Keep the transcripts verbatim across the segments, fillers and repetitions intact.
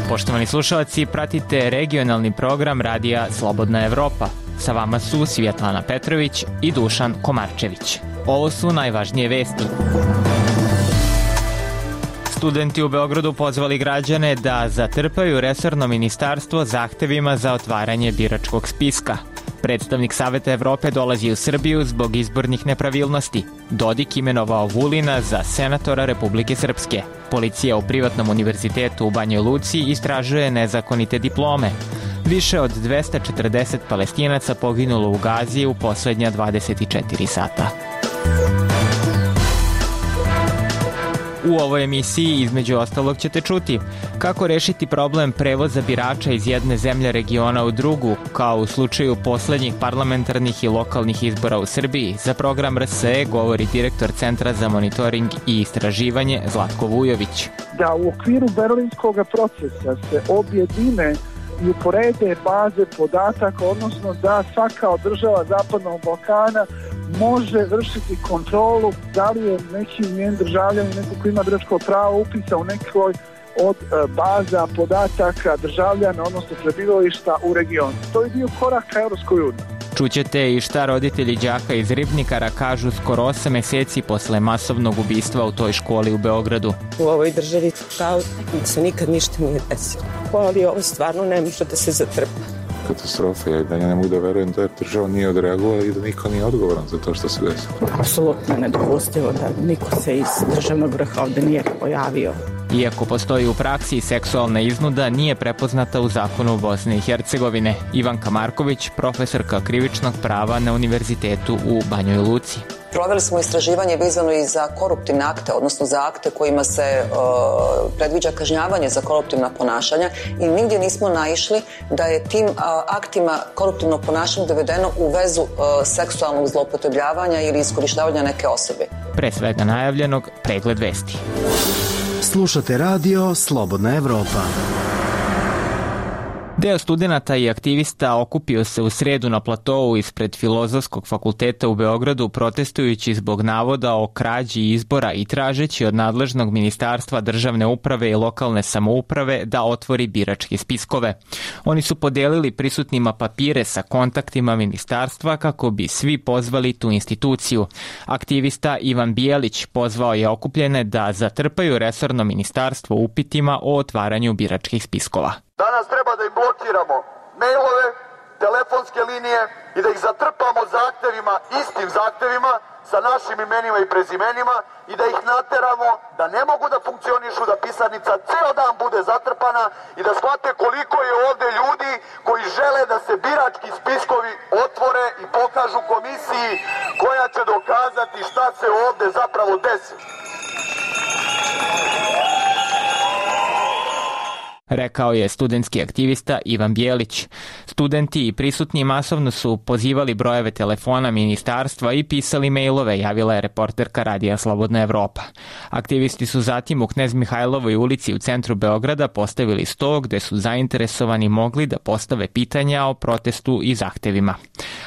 Poštovani slušalci, pratite regionalni program radija Slobodna Evropa. Sa vama su Svjetlana Petrović i Dušan Komarčević. Ovo su najvažnije vesti. Studenti u Beogradu pozvali građane da zatrpaju resorno ministarstvo zahtevima za otvaranje biračkog spiska. Predstavnik Saveta Evrope dolazi u Srbiju zbog izbornih nepravilnosti. Dodik imenovao Vulina za senatora Republike Srpske. Policija u privatnom univerzitetu u Banjoj Luci istražuje nezakonite diplome. Više od dvesta četrdeset Palestinaca poginulo u Gazi u poslednja dvadeset četiri sata. U ovoj emisiji između ostalog ćete čuti kako rešiti problem prevoza birača iz jedne zemlje regiona u drugu, kao u slučaju poslednjih parlamentarnih i lokalnih izbora u Srbiji. Za program R S E govori direktor Centra za monitoring i istraživanje Zlatko Vujović. Da u okviru berlinskog procesa se objedine i uporede baze podataka, odnosno da svaka od država Zapadnog Balkana može vršiti kontrolu da li je neki njen državljanin, neko ko ima biračko pravo upisa u nekoj od baza podataka državljana, odnosno prebivališta u regionu. To je bio korak ka Evropskoj uniji. Čućete i šta roditelji đaka iz Ribnikara kažu skoro osam meseci posle masovnog ubistva u toj školi u Beogradu. U ovoj državi kao da se nikad ništa nije desilo. Ali ovo stvarno ne može da se zatrpa. Katastrofa je da ja ne mogu da verujem da država nije odreagovala i da niko nije odgovoran za to što se desilo. Apsolutno nedopustivo da niko se iz državnog vrha ovde nije pojavio. Iako postoji u praksi, seksualna iznuda nije prepoznata u zakonu Bosne i Hercegovine. Ivanka Marković, profesorka krivičnog prava na Univerzitetu u Banjoj Luci. Proveli smo istraživanje vezano i za koruptivne akte, odnosno za akte kojima se uh, predviđa kažnjavanje za koruptivna ponašanja i nigdje nismo naišli da je tim uh, aktima koruptivnog ponašanja dovedeno u vezu uh, seksualnog zloupotrebljavanja ili iskorištavanja neke osobe. Pre svega najavljenog, pregled vesti. Slušate radio Slobodna Evropa. Deo studenata i aktivista okupio se u sredu na platou ispred Filozofskog fakulteta u Beogradu protestujući zbog navoda o krađi izbora i tražeći od nadležnog Ministarstva državne uprave i lokalne samouprave da otvori biračke spiskove. Oni su podelili prisutnima papire sa kontaktima ministarstva kako bi svi pozvali tu instituciju. Aktivista Ivan Bijelić pozvao je okupljene da zatrpaju resorno ministarstvo upitima o otvaranju biračkih spiskova. Danas treba da im blokiramo mailove, telefonske linije i da ih zatrpamo zahtevima, istim zahtevima, sa našim imenima i prezimenima i da ih nateramo da ne mogu da funkcionišu, da pisarnica ceo dan bude zatrpana i da shvate koliko je ovde ljudi koji žele da se birački spiskovi otvore i pokažu komisiji koja će dokazati šta se ovde zapravo desi. Rekao je studentski aktivista Ivan Bijelić. Studenti i prisutni masovno su pozivali brojeve telefona ministarstva i pisali mailove, javila je reporterka radija Slobodna Evropa. Aktivisti su zatim u Knez Mihajlovoj ulici u centru Beograda postavili sto gde su zainteresovani mogli da postave pitanja o protestu i zahtevima.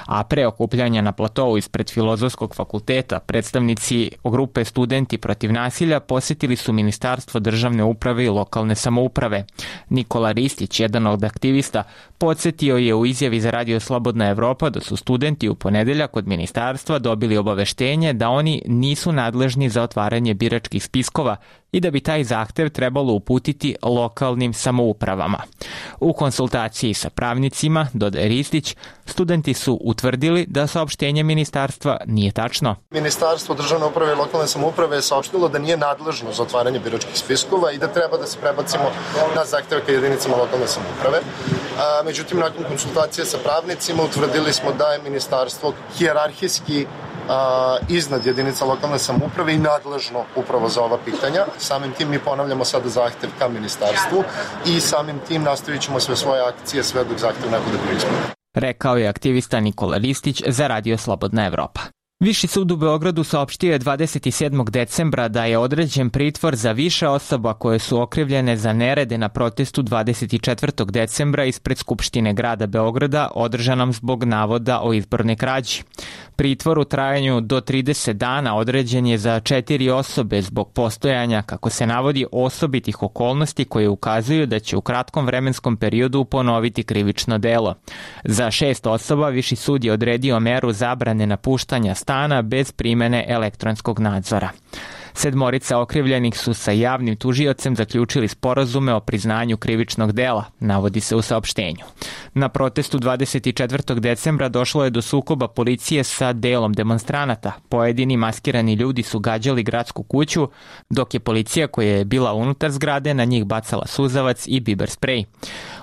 A pre okupljanja na platou ispred Filozofskog fakulteta predstavnici grupe Studenti protiv nasilja posetili su Ministarstvo državne uprave i lokalne samouprave. Nikola Ristić, jedan od aktivista, podsjetio je u izjavi za radio Slobodna Evropa da su studenti u ponedeljak od ministarstva dobili obaveštenje da oni nisu nadležni za otvaranje biračkih spiskova i da bi taj zahtev trebalo uputiti lokalnim samoupravama. U konsultaciji sa pravnicima, dodaje Ristić, studenti su utvrdili da saopštenje ministarstva nije tačno. Ministarstvo državne uprave i lokalne samouprave je saopštilo da nije nadležno za otvaranje biračkih spiskova i da treba da se prebacimo na zahteve ka jedinicama lokalne samouprave. A, međutim, nakon konsultacije sa pravnicima utvrdili smo da je ministarstvo hijerarhijski a, iznad jedinica lokalne samouprave i nadležno upravo za ova pitanja. Samim tim mi ponavljamo sada zahtev ka ministarstvu i samim tim nastavit ćemo sve svoje akcije sve dok zahtev ne bude preispitan. Rekao je aktivista Nikola Ristić za radio Slobodna Evropa. Viši sud u Beogradu saopštio je dvadeset sedmog decembra da je određen pritvor za više osoba koje su okrivljene za nerede na protestu dvadeset četvrtog decembra ispred Skupštine grada Beograda održanom zbog navoda o izbornoj krađi. Pritvor u trajanju do trideset dana određen je za četiri osobe zbog postojanja, kako se navodi, osobitih okolnosti koje ukazuju da će u kratkom vremenskom periodu ponoviti krivično delo. Za šest osoba Viši sud je odredio meru zabrane napuštanja stana bez primene elektronskog nadzora. Sedmorica okrivljenih su sa javnim tužiocem zaključili sporazume o priznanju krivičnog dela, navodi se u saopštenju. Na protestu dvadeset četvrtog decembra došlo je do sukoba policije sa delom demonstranata. Pojedini maskirani ljudi su gađali gradsku kuću, dok je policija koja je bila unutar zgrade na njih bacala suzavac i biber sprej.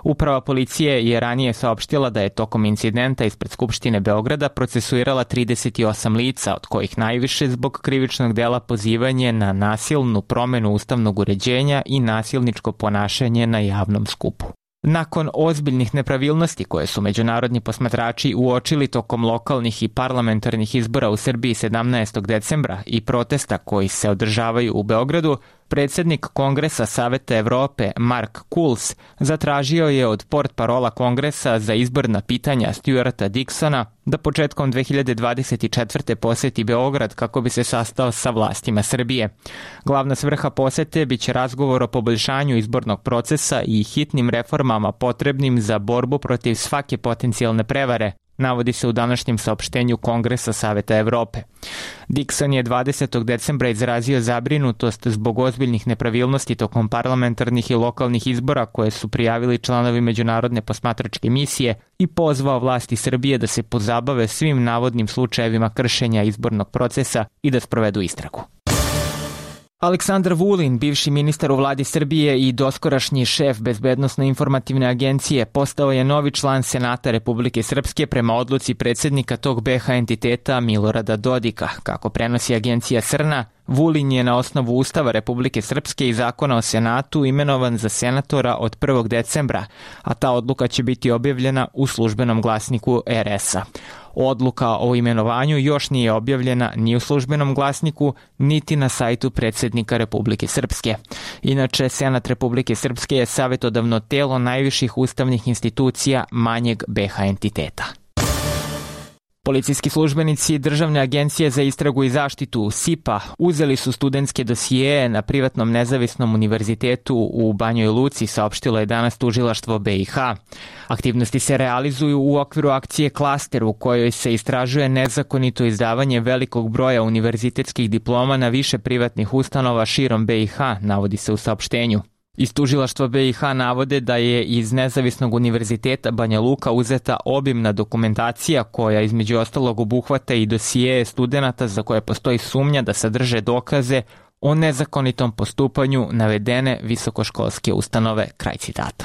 Uprava policije je ranije saopštila da je tokom incidenta ispred Skupštine Beograda procesuirala trideset osam lica, od kojih najviše zbog krivičnog dela pozivanje na nasilnu promenu ustavnog uređenja i nasilničko ponašanje na javnom skupu. Nakon ozbiljnih nepravilnosti koje su međunarodni posmatrači uočili tokom lokalnih i parlamentarnih izbora u Srbiji sedamnaestog decembra i protesta koji se održavaju u Beogradu, predsjednik Kongresa Saveta Evrope Mark Kuls zatražio je od portparola Kongresa za izborna pitanja Stuarta Dixona da početkom dve hiljade dvadeset četvrte poseti Beograd kako bi se sastao sa vlastima Srbije. Glavna svrha posete biće razgovor o poboljšanju izbornog procesa i hitnim reformama potrebnim za borbu protiv svake potencijalne prevare, navodi se u današnjem saopštenju Kongresa Saveta Evrope. Dixon je dvadesetog decembra izrazio zabrinutost zbog ozbiljnih nepravilnosti tokom parlamentarnih i lokalnih izbora koje su prijavili članovi međunarodne posmatračke misije i pozvao vlasti Srbije da se pozabave svim navodnim slučajevima kršenja izbornog procesa i da sprovedu istragu. Aleksandar Vulin, bivši ministar u vladi Srbije i doskorašnji šef Bezbednosno-informativne agencije, postao je novi član Senata Republike Srpske prema odluci predsjednika tog be ha entiteta Milorada Dodika. Kako prenosi agencija Srna, Vulin je na osnovu Ustava Republike Srpske i Zakona o Senatu imenovan za senatora od prvog decembra, a ta odluka će biti objavljena u službenom glasniku er es a. Odluka o imenovanju još nije objavljena ni u službenom glasniku, niti na sajtu predsjednika Republike Srpske. Inače, Senat Republike Srpske je savjetodavno telo najviših ustavnih institucija manjeg be ha entiteta. Policijski službenici Državne agencije za istragu i zaštitu S I P a uzeli su studentske dosijeje na privatnom nezavisnom univerzitetu u Banjoj Luci, saopštilo je danas tužilaštvo be i ha. Aktivnosti se realizuju u okviru akcije Klaster u kojoj se istražuje nezakonito izdavanje velikog broja univerzitetskih diploma na više privatnih ustanova širom be i ha, navodi se u saopštenju. Iz tužilaštva be i ha navode da je iz Nezavisnog univerziteta Banja Luka uzeta obimna dokumentacija koja između ostalog obuhvata i dosijeje studenata za koje postoji sumnja da sadrže dokaze o nezakonitom postupanju navedene visokoškolske ustanove. Kraj citata.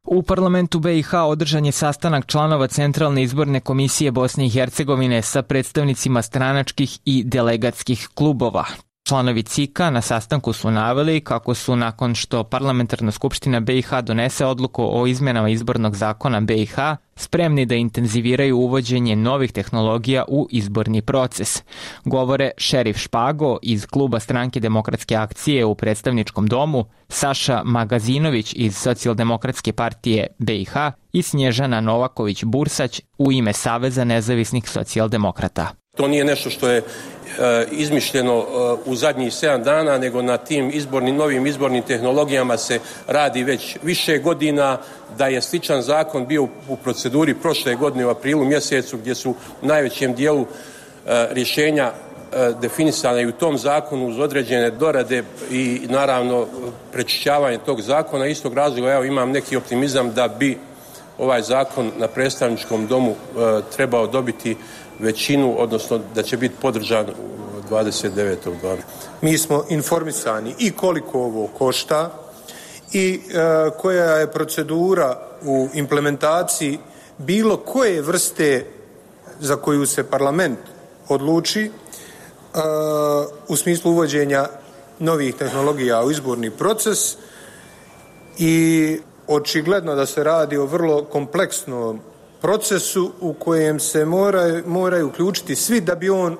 U parlamentu be i ha održan je sastanak članova Centralne izborne komisije Bosne i Hercegovine sa predstavnicima stranačkih i delegatskih klubova. Članovi C I K a na sastanku su naveli kako su nakon što Parlamentarna skupština be i ha donese odluku o izmenama izbornog zakona be i ha spremni da intenziviraju uvođenje novih tehnologija u izborni proces. Govore Šerif Špago iz kluba Stranke demokratske akcije u predstavničkom domu, Saša Magazinović iz Socijaldemokratske partije be i ha i Snježana Novaković-Bursać u ime Saveza nezavisnih socijaldemokrata. To nije nešto što je izmišljeno u zadnjih sedam dana, nego na tim izbornim, novim izbornim tehnologijama se radi već više godina, da je sličan zakon bio u proceduri prošle godine u aprilu mjesecu, gdje su u najvećem dijelu rješenja definisane i u tom zakonu uz određene dorade i naravno prečišćavanje tog zakona. Istog razloga evo imam neki optimizam da bi ovaj zakon na predstavničkom domu trebao dobiti većinu, odnosno da će biti podržan dvadeset devetog Mi smo informisani i koliko ovo košta i e, koja je procedura u implementaciji bilo koje vrste za koju se parlament odluči e, u smislu uvođenja novih tehnologija u izborni proces i očigledno da se radi o vrlo kompleksnom procesu u kojem se moraju, moraju uključiti svi da bi on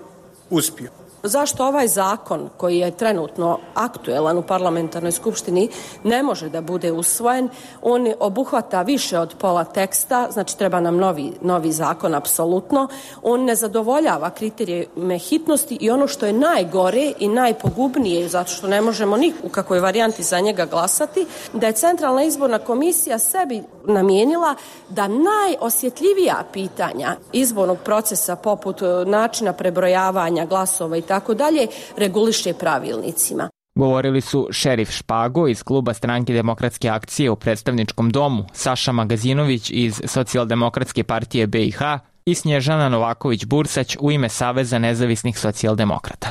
uspio. Zašto ovaj zakon koji je trenutno aktuelan u parlamentarnoj skupštini ne može da bude usvojen? On obuhvata više od pola teksta, znači treba nam novi, novi zakon apsolutno. On ne zadovoljava kriterijume hitnosti i ono što je najgore i najpogubnije, zato što ne možemo ni u kakvoj varijanti za njega glasati, da je Centralna izborna komisija sebi namijenila da najosjetljivija pitanja izbornog procesa poput načina prebrojavanja glasova i tako dalje reguliše pravilnicima. Govorili su Šerif Špago iz kluba Stranke demokratske akcije u predstavničkom domu, Saša Magazinović iz Socijaldemokratske partije be i ha i Snježana Novaković-Bursać u ime Saveza nezavisnih socijaldemokrata.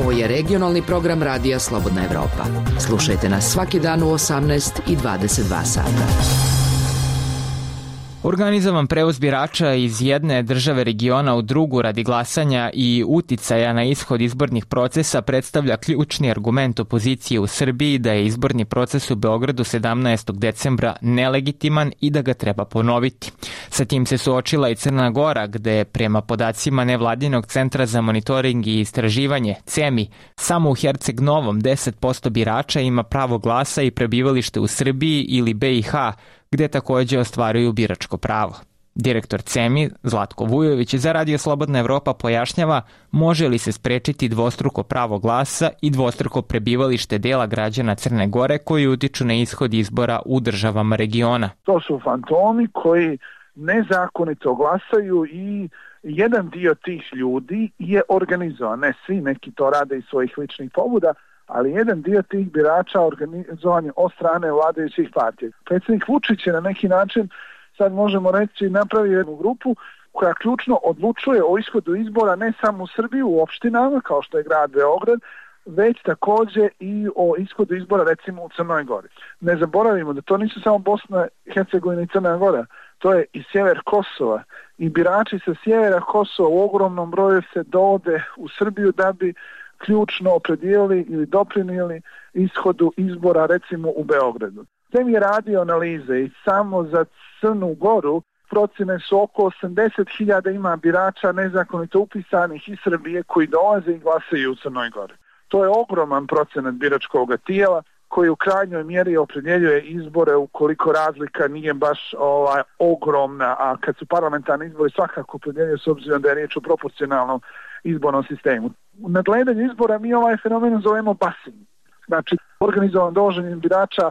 Ovo je regionalni program Radija Slobodna Evropa. Slušajte nas svaki dan u osamnaest i dvadeset dva sata. Organizovan prevoz birača iz jedne države regiona u drugu radi glasanja i uticaja na ishod izbornih procesa predstavlja ključni argument opozicije u Srbiji da je izborni proces u Beogradu sedamnaestog decembra nelegitiman i da ga treba ponoviti. Sa tim se suočila i Crna Gora, gde prema podacima Nevladinog centra za monitoring i istraživanje CEMI, samo u Herceg Novom deset posto birača ima pravo glasa i prebivalište u Srbiji ili be i ha, gde takođe ostvaruju biračko pravo. Direktor CEMI, Zlatko Vujović, za Radio Slobodna Evropa pojašnjava može li se sprečiti dvostruko pravo glasa i dvostruko prebivalište dela građana Crne Gore koji utiču na ishod izbora u državama regiona. To su fantomi koji nezakonito glasaju i jedan dio tih ljudi je organizovan. Ne svi, neki to rade iz svojih ličnih pobuda, ali jedan dio tih birača organizovan je od strane vladajućih partija. Predsjednik Vučić je na neki način, sad možemo reći, napravio jednu grupu koja ključno odlučuje o ishodu izbora ne samo u Srbiji, u opštinama kao što je grad Beograd, već također i o ishodu izbora recimo u Crnoj Gori. Ne zaboravimo da to nisu samo Bosna, Hercegovina i Crna Gora, to je i sjever Kosova i birači sa sjevera Kosova u ogromnom broju se dovode u Srbiju da bi ključno opredijelili ili doprinijeli ishodu izbora recimo u Beogradu. Tem je radio analize i samo za Crnu Goru procjene su oko osamdeset hiljada ima birača nezakonito upisanih iz Srbije koji dolaze i glasaju u Crnoj Gori. To je ogroman procenat biračkog tijela koji u krajnjoj mjeri opredjeljuje izbore ukoliko razlika nije baš ovaj, ogromna, a kad su parlamentarni izbori svakako opredjeljuje s obzirom da je riječ o proporcionalnom izbornom sistemu. U nadgledanju izbora mi ovaj fenomen zovemo busing. Znači, organizovan dovoženjem birača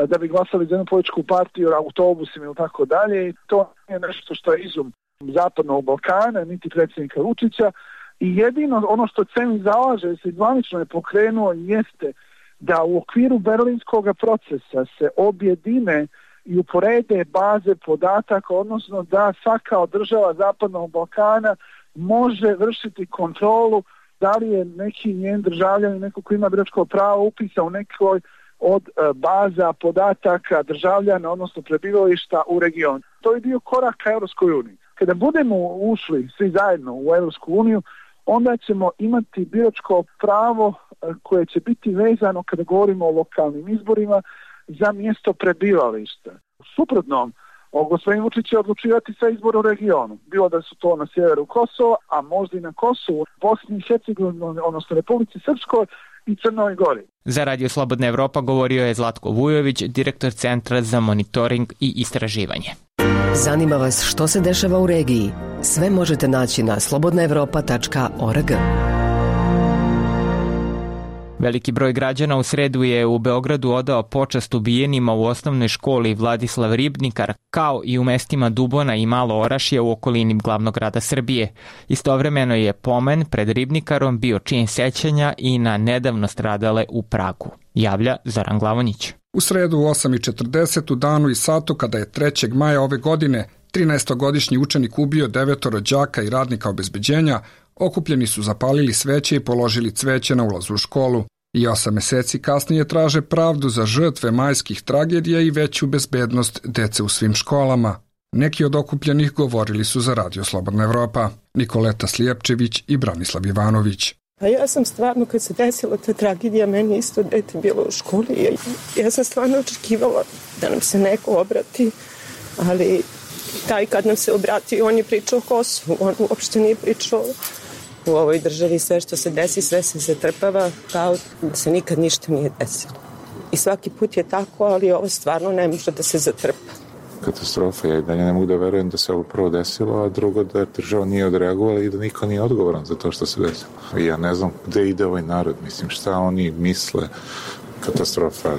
da bi glasali za jednu političku partiju, autobusima ili tako dalje. I to nije nešto što je izum zapadnog Balkana, niti predsjednika Vučića. I jedino ono što CEMI zalaže, se zvanično je pokrenuo, jeste da u okviru berlinskog procesa se objedine i uporede baze podataka, odnosno da svaka od država zapadnog Balkana može vršiti kontrolu da li je neki njen državljanin, neko ko ima biračko pravo upisa u nekoj od baza podataka državljana, odnosno prebivališta u regionu. To je dio koraka Europskoj uniji. Kada budemo ušli svi zajedno u Europsku uniju, onda ćemo imati biračko pravo koje će biti vezano kada govorimo o lokalnim izborima za mjesto prebivališta. U suprotnom, gospodin Vučić će odlučivati sve izbore u regionu. Bilo da su to na sjeveru Kosova, a možda i na Kosovu, Bosni i Hercegovini, odnosno Republici Srpskoj i Crnoj Gori. Za Radio Slobodna Evropa govorio je Zlatko Vujović, direktor Centra za monitoring i istraživanje. Zanima vas što se dešava u regiji? Sve možete naći na slobodna evropa tačka org. Veliki broj građana u sredu je u Beogradu odao počast ubijenima u osnovnoj školi Vladislav Ribnikar, kao i u mestima Dubona i Malo Orašje u okolini glavnog grada Srbije. Istovremeno je pomen pred Ribnikarom bio čin sećanja i na nedavno stradale u Pragu. Javlja Zoran Glavonić. U sredu u osam i četrdeset u danu i satu kada je trećeg maja ove godine trinaestogodišnji učenik ubio devetoro đaka i radnika obezbeđenja, okupljeni su zapalili sveće i položili cveće na ulazu u školu. I osam meseci kasnije traže pravdu za žrtve majskih tragedija i veću bezbednost dece u svim školama. Neki od okupljenih govorili su za Radio Slobodna Evropa, Nikoleta Slijepčević i Branislav Ivanović. A ja sam stvarno, kad se desila ta tragedija, meni isto dete bilo u školi. Ja sam stvarno očekivala da nam se neko obrati, ali taj kad nam se obratio, on je pričao o Kosovu, on uopšte nije pričao u ovoj državi. Sve što se desi, sve se zatrpava kao da se nikad ništa nije desilo. I svaki put je tako, ali ovo stvarno ne može da se zatrpa. Katastrofa. Ja i dalje ne mogu da verujem da se ovo prvo desilo, a drugo da država nije odreagovala i da niko nije odgovoran za to što se desilo. I ja ne znam gde ide ovaj narod, mislim, šta oni misle. Katastrofa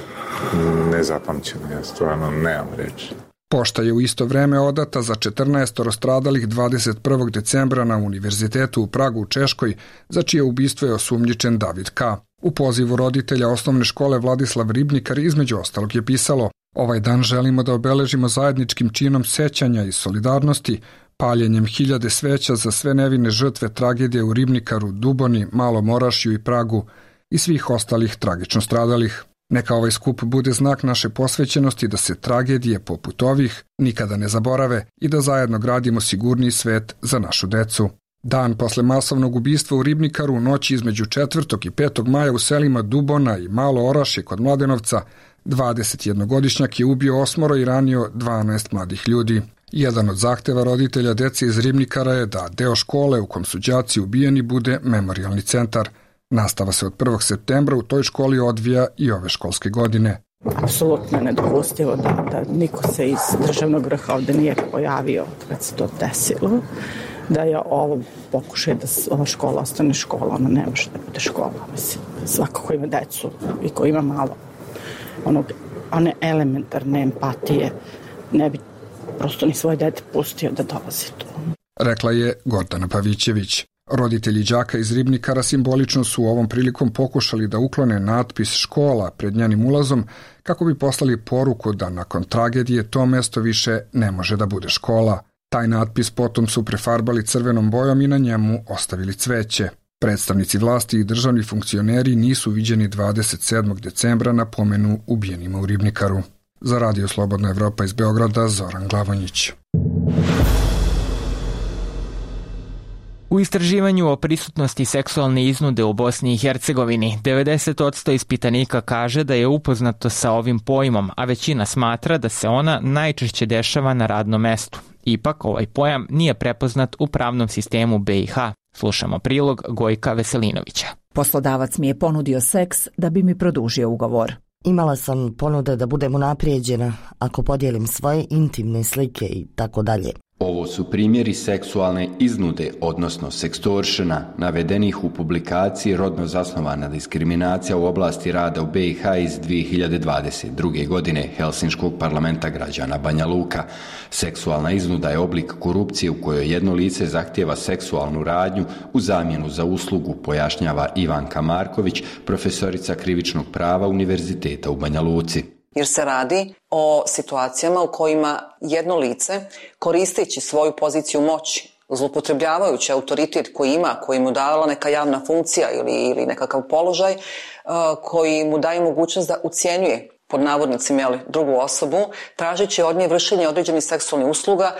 nezapamćena, ja stvarno nemam reći. Pošta je u isto vreme odata za četrnaest stradalih dvadeset prvog decembra na Univerzitetu u Pragu u Češkoj, za čije ubistvo je osumnjičen David K. U pozivu roditelja osnovne škole Vladislav Ribnikar između ostalog je pisalo: ovaj dan želimo da obeležimo zajedničkim činom sećanja i solidarnosti, paljenjem hiljade sveća za sve nevine žrtve tragedije u Ribnikaru, Duboni, Malom Orašju i Pragu i svih ostalih tragično stradalih. Neka ovaj skup bude znak naše posvećenosti da se tragedije poput ovih nikada ne zaborave i da zajedno gradimo sigurniji svet za našu decu. Dan posle masovnog ubistva u Ribnikaru, u noći između četvrtog i petog maja u selima Dubona i Malo Orašje kod Mladenovca, dvadesetjednogodišnjak je ubio osmoro i ranio dvanaest mladih ljudi. Jedan od zahteva roditelja dece iz Ribnikara je da deo škole u kom su đaci ubijeni bude memorijalni centar. Nastava se od prvog septembra u toj školi odvija i ove školske godine. Apsolutno nedopustivo da, da niko se iz državnog vrha ovde nije pojavio kad se to desilo. Da je ovo pokušaj da ova škola ostane škola, ona ne može da bude škola. Mislim, svako ko ima decu i ko ima malo onog, one elementarne empatije ne bi prosto ni svoje dete pustio da dolazi tu. Rekla je Gordana Pavićević. Roditelji đaka iz Ribnikara simbolično su ovom prilikom pokušali da uklone natpis škola pred njenim ulazom kako bi poslali poruku da nakon tragedije to mesto više ne može da bude škola. Taj natpis potom su prefarbali crvenom bojom i na njemu ostavili cveće. Predstavnici vlasti i državni funkcioneri nisu viđeni dvadeset sedmog decembra na pomenu ubijenima u Ribnikaru. Za Radio Slobodna Evropa iz Beograda, Zoran Glavonjić. U istraživanju o prisutnosti seksualne iznude u Bosni i Hercegovini, devedeset posto ispitanika kaže da je upoznato sa ovim pojmom, a većina smatra da se ona najčešće dešava na radnom mestu. Ipak, ovaj pojam nije prepoznat u pravnom sistemu be i ha. Slušamo prilog Gojka Veselinovića. Poslodavac mi je ponudio seks da bi mi produžio ugovor. Imala sam ponude da budem unaprijeđena ako podijelim svoje intimne slike i tako dalje. Ovo su primjeri seksualne iznude, odnosno sekstoršena, navedenih u publikaciji Rodno zasnovana diskriminacija u oblasti rada u be i ha iz dvije hiljade dvadeset druge. godine Helsinškog parlamenta građana Banja Luka. Seksualna iznuda je oblik korupcije u kojoj jedno lice zahtijeva seksualnu radnju u zamjenu za uslugu, pojašnjava Ivanka Marković, profesorica krivičnog prava Univerziteta u Banja Luci. Jer se radi o situacijama u kojima jedno lice, koristeći svoju poziciju moći, zloupotrebljavajući autoritet koji ima, koji mu davala neka javna funkcija ili, ili nekakav položaj, koji mu daje mogućnost da ucjenjuje pod navodnicima jeli, drugu osobu, tražeći od nje vršenje određenih seksualnih usluga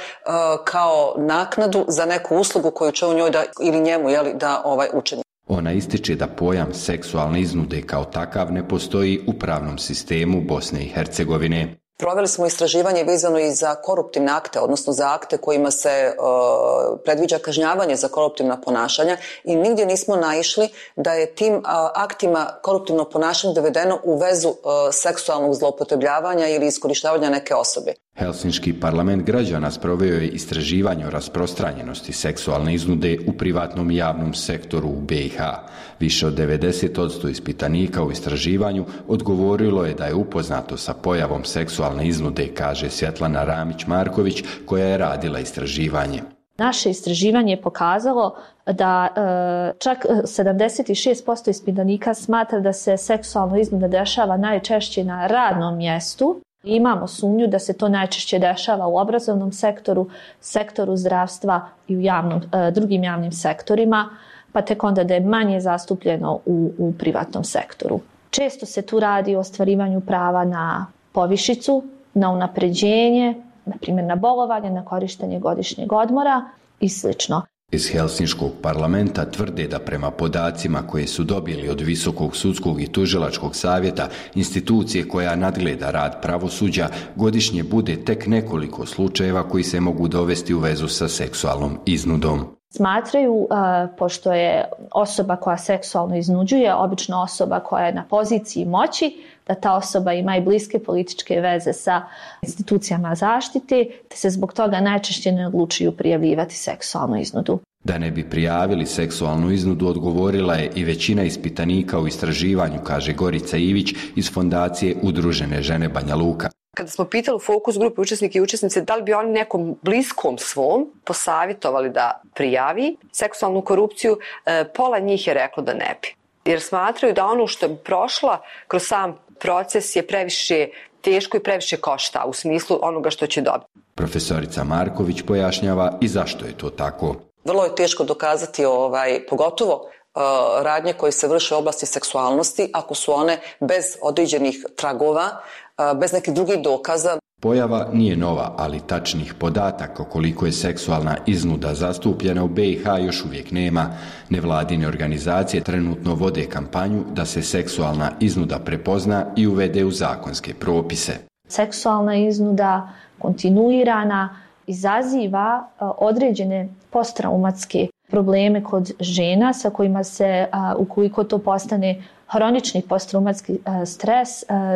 kao naknadu za neku uslugu koju će u njoj da, ili njemu jeli, da ovaj, učini. Ona ističe da pojam seksualne iznude kao takav ne postoji u pravnom sistemu Bosne i Hercegovine. Proveli smo istraživanje vezano i za koruptivne akte, odnosno za akte kojima se uh, predviđa kažnjavanje za koruptivna ponašanja i nigdje nismo naišli da je tim uh, aktima koruptivnog ponašanja dovedeno u vezu uh, seksualnog zloupotrebljavanja ili iskorištavanja neke osobe. Helsinški parlament građana sproveo je istraživanje o rasprostranjenosti seksualne iznude u privatnom i javnom sektoru u be i ha. Više od devedeset posto ispitanika u istraživanju odgovorilo je da je upoznato sa pojavom seksualne iznude, kaže Svjetlana Ramić-Marković, koja je radila istraživanje. Naše istraživanje je pokazalo da e, čak sedamdeset šest posto ispitanika smatra da se seksualna iznuda dešava najčešće na radnom mjestu. Imamo sumnju da se to najčešće dešava u obrazovnom sektoru, sektoru zdravstva i u javnom, e, drugim javnim sektorima, pa tek onda da je manje zastupljeno u, u privatnom sektoru. Često se tu radi o ostvarivanju prava na povišicu, na unapređenje, na primjer na bolovanje, na korištenje godišnjeg odmora i slično. Iz Helsinškog parlamenta tvrde da prema podacima koje su dobili od Visokog sudskog i tužilačkog savjeta, institucije koja nadgleda rad pravosuđa, godišnje bude tek nekoliko slučajeva koji se mogu dovesti u vezu sa seksualnom iznudom. Smatraju, pošto je osoba koja seksualno iznuđuje obično osoba koja je na poziciji moći, da ta osoba ima i bliske političke veze sa institucijama zaštite, te se zbog toga najčešće ne odlučuju prijavljivati seksualnu iznudu. Da ne bi prijavili seksualnu iznudu odgovorila je i većina ispitanika u istraživanju, kaže Gorica Ivić iz Fondacije Udružene žene Banja Luka. Kada smo pitali u fokus grupe učesnike i učesnice da li bi oni nekom bliskom svom posavjetovali da prijavi seksualnu korupciju, pola njih je reklo da ne bi. Jer smatraju da ono što je prošla kroz sam proces je previše teško i previše košta u smislu onoga što će dobiti. Profesorica Marković pojašnjava i zašto je to tako. Vrlo je teško dokazati, ovaj, pogotovo uh, radnje koje se vrše u oblasti seksualnosti, ako su one bez određenih tragova, uh, bez nekih drugih dokaza. Pojava nije nova, ali tačnih podataka koliko je seksualna iznuda zastupljena u B i H još uvijek nema. Nevladine organizacije trenutno vode kampanju da se seksualna iznuda prepozna i uvede u zakonske propise. Seksualna iznuda kontinuirana izaziva određene posttraumatske probleme kod žena sa kojima se, ukoliko to postane hronični posttraumatski stres,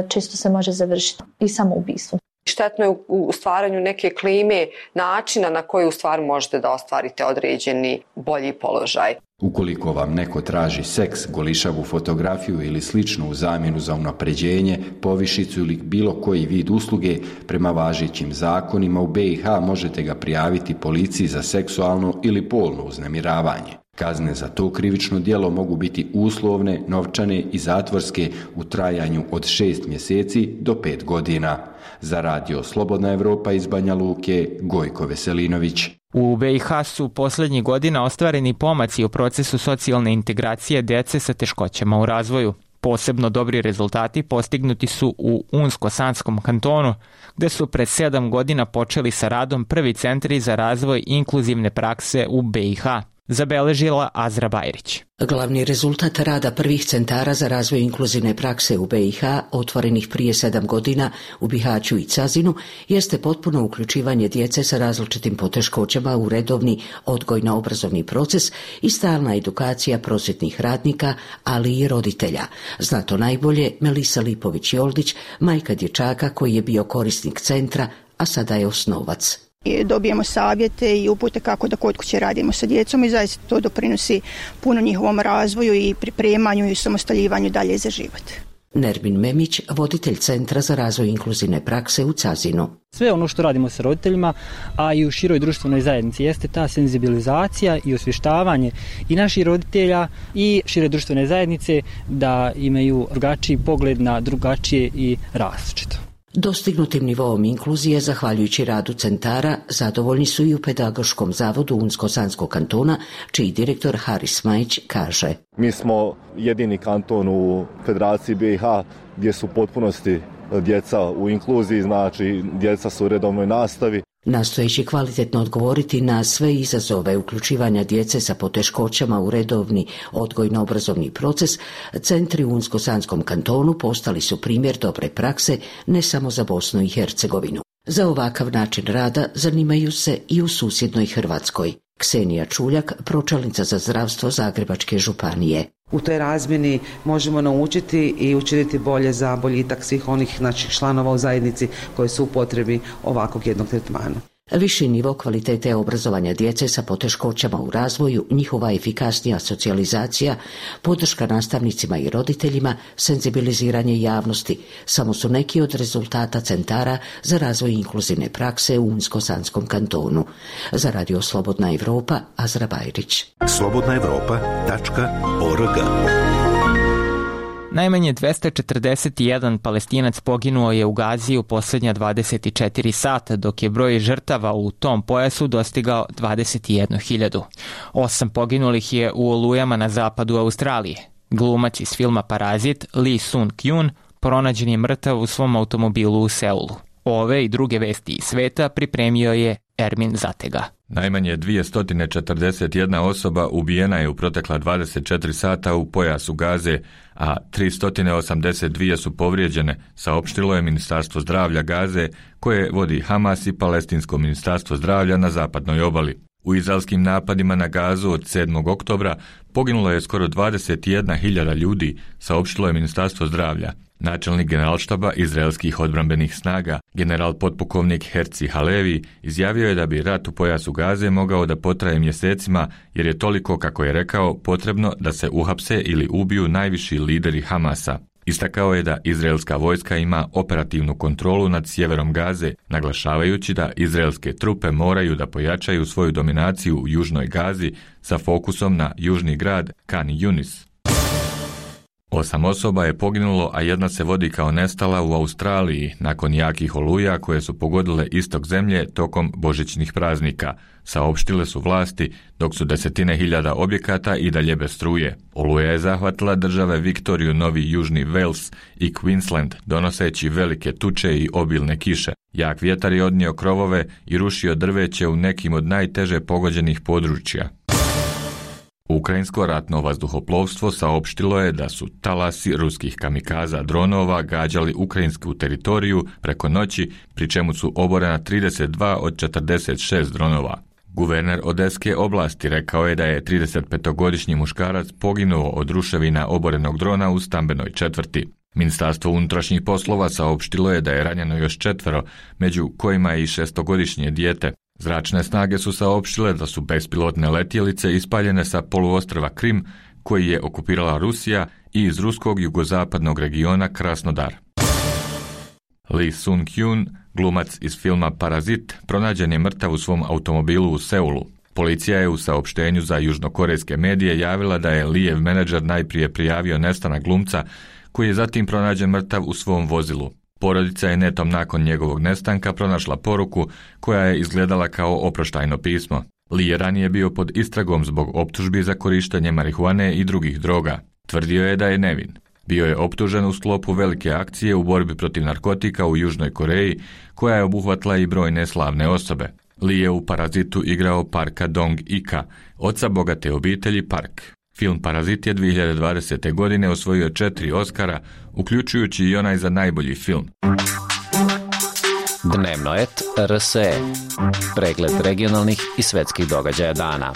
često se može završiti i samoubistvom. Štetno je u stvaranju neke klime, načina na koji u stvari možete da ostvarite određeni bolji položaj. Ukoliko vam neko traži seks, golišavu fotografiju ili sličnu u zamjenu za unapređenje, povišicu ili bilo koji vid usluge, prema važećim zakonima u B i H možete ga prijaviti policiji za seksualno ili polno uznemiravanje. Kazne za to krivično djelo mogu biti uslovne, novčane i zatvorske u trajanju od šest mjeseci do pet godina. Za radio Slobodna Evropa iz Banja Luke, Gojko Veselinović. U B i H su posljednjih godina ostvareni pomaci u procesu socijalne integracije djece sa teškoćama u razvoju. Posebno dobri rezultati postignuti su u Unsko-Sanskom kantonu, gdje su pred sedam godina počeli sa radom prvi centri za razvoj inkluzivne prakse u B i H. Zabeležila Azra Bajrić. Glavni rezultat rada prvih centara za razvoj inkluzivne prakse u B i H, otvorenih prije sedam godina u Bihaću i Cazinu, jeste potpuno uključivanje djece sa različitim poteškoćama u redovni odgojno-obrazovni proces i stalna edukacija prosvjetnih radnika, ali i roditelja. Zna to najbolje Melisa Lipović-Joldić, majka dječaka koji je bio korisnik centra, a sada je osnovac. Dobijemo savjete i upute kako da kod kuće radimo sa djecom i zaista to doprinosi puno njihovom razvoju i pripremanju i samostaljivanju dalje za život. Nermin Memić, voditelj Centra za razvoj inkluzivne prakse u Cazinu. Sve ono što radimo sa roditeljima, a i u široj društvenoj zajednici, jeste ta senzibilizacija i osvještavanje i naših roditelja i šire društvene zajednice da imaju drugačiji pogled na drugačije i različito. Dostignutim nivoom inkluzije, zahvaljujući radu centara, zadovoljni su i u Pedagoškom zavodu Unsko-Sanskog kantona, čiji direktor Haris Majić kaže. Mi smo jedini kanton u Federaciji B i H gdje su u potpunosti djeca u inkluziji, znači djeca su u redovnoj nastavi. Nastojeći kvalitetno odgovoriti na sve izazove uključivanja djece sa poteškoćama u redovni odgojno-obrazovni proces, centri u Unsko-Sanskom kantonu postali su primjer dobre prakse ne samo za Bosnu i Hercegovinu. Za ovakav način rada zanimaju se i u susjednoj Hrvatskoj. Ksenija Čuljak, pročelnica za zdravstvo Zagrebačke županije. U toj razmjeni možemo naučiti i učiniti bolje za boljitak svih onih naših članova u zajednici koji su u potrebi ovakvog jednog tretmana. Viši nivo kvalitete obrazovanja djece sa poteškoćama u razvoju, njihova efikasnija socijalizacija, podrška nastavnicima i roditeljima, senzibiliziranje javnosti samo su neki od rezultata centara za razvoj inkluzivne prakse u Unsko-Sanskom kantonu. Za radio Slobodna Evropa, Azra Bajrić. slobodna evropa tačka org. Najmanje dvesta četrdeset jedan Palestinac poginuo je u Gazi u posljednja dvadeset četiri sata, dok je broj žrtava u tom pojasu dostigao dvadeset jednu hiljadu. Osam poginulih je u olujama na zapadu Australije. Glumac iz filma Parazit, Lee Sun-kyun, pronađen je mrtav u svom automobilu u Seulu. Ove i druge vesti iz sveta pripremio je Ermin Zatega. Najmanje dvjesto četrdeset jedna osoba ubijena je u protekla dvadeset četiri sata u pojasu Gaze, a tristo osamdeset dvije su povrijeđene, saopštilo je Ministarstvo zdravlja Gaze, koje vodi Hamas i Palestinsko ministarstvo zdravlja na zapadnoj obali. U izraelskim napadima na Gazu od sedmog oktobra poginulo je skoro dvadeset jedna hiljada ljudi, saopštilo je Ministarstvo zdravlja. Načelnik generalštaba izraelskih odbrambenih snaga, general potpukovnik Herci Halevi, izjavio je da bi rat u pojasu Gaze mogao da potraje mjesecima, jer je toliko, kako je rekao, potrebno da se uhapse ili ubiju najviši lideri Hamasa. Istakao je da izraelska vojska ima operativnu kontrolu nad sjeverom Gaze, naglašavajući da izraelske trupe moraju da pojačaju svoju dominaciju u južnoj Gazi sa fokusom na južni grad Khan Yunis. Osam osoba je poginulo, a jedna se vodi kao nestala u Australiji nakon jakih oluja koje su pogodile istok zemlje tokom božićnih praznika, saopštile su vlasti, dok su desetine hiljada objekata i dalje bez struje. Oluja je zahvatila države Viktoriju, Novi Južni Wales i Queensland, donoseći velike tuče i obilne kiše. Jak vjetar je odnio krovove i rušio drveće u nekim od najteže pogođenih područja. Ukrajinsko ratno vazduhoplovstvo saopštilo je da su talasi ruskih kamikaza dronova gađali ukrajinsku teritoriju preko noći, pri čemu su oborena trideset dva od četrdeset šest dronova. Guverner Odeske oblasti rekao je da je tridesetpetogodišnji muškarac poginuo od ruševina oborenog drona u stambenoj četvrti. Ministarstvo unutrašnjih poslova saopštilo je da je ranjeno još četvero, među kojima je i šestogodišnje dijete. Zračne snage su saopštile da su bespilotne letjelice ispaljene sa poluostrva Krim, koji je okupirala Rusija, i iz ruskog jugozapadnog regiona Krasnodar. Lee Sung-kyun, glumac iz filma Parazit, pronađen je mrtav u svom automobilu u Seulu. Policija je u saopštenju za južnokorejske medije javila da je Lijev menadžer najprije prijavio nestanak glumca, koji je zatim pronađen mrtav u svom vozilu. Porodica je netom nakon njegovog nestanka pronašla poruku koja je izgledala kao oproštajno pismo. Lee je ranije bio pod istragom zbog optužbi za korištenje marihuane i drugih droga. Tvrdio je da je nevin. Bio je optužen u sklopu velike akcije u borbi protiv narkotika u Južnoj Koreji, koja je obuhvatila i brojne slavne osobe. Lee je u Parazitu igrao Parka Dong-ika, oca bogate obitelji Park. Film Parazit je dvije hiljade dvadesete. godine osvojio četiri Oscara, uključujući i onaj za najbolji film. Dnevnoet R S E. Pregled regionalnih i svetskih događaja dana.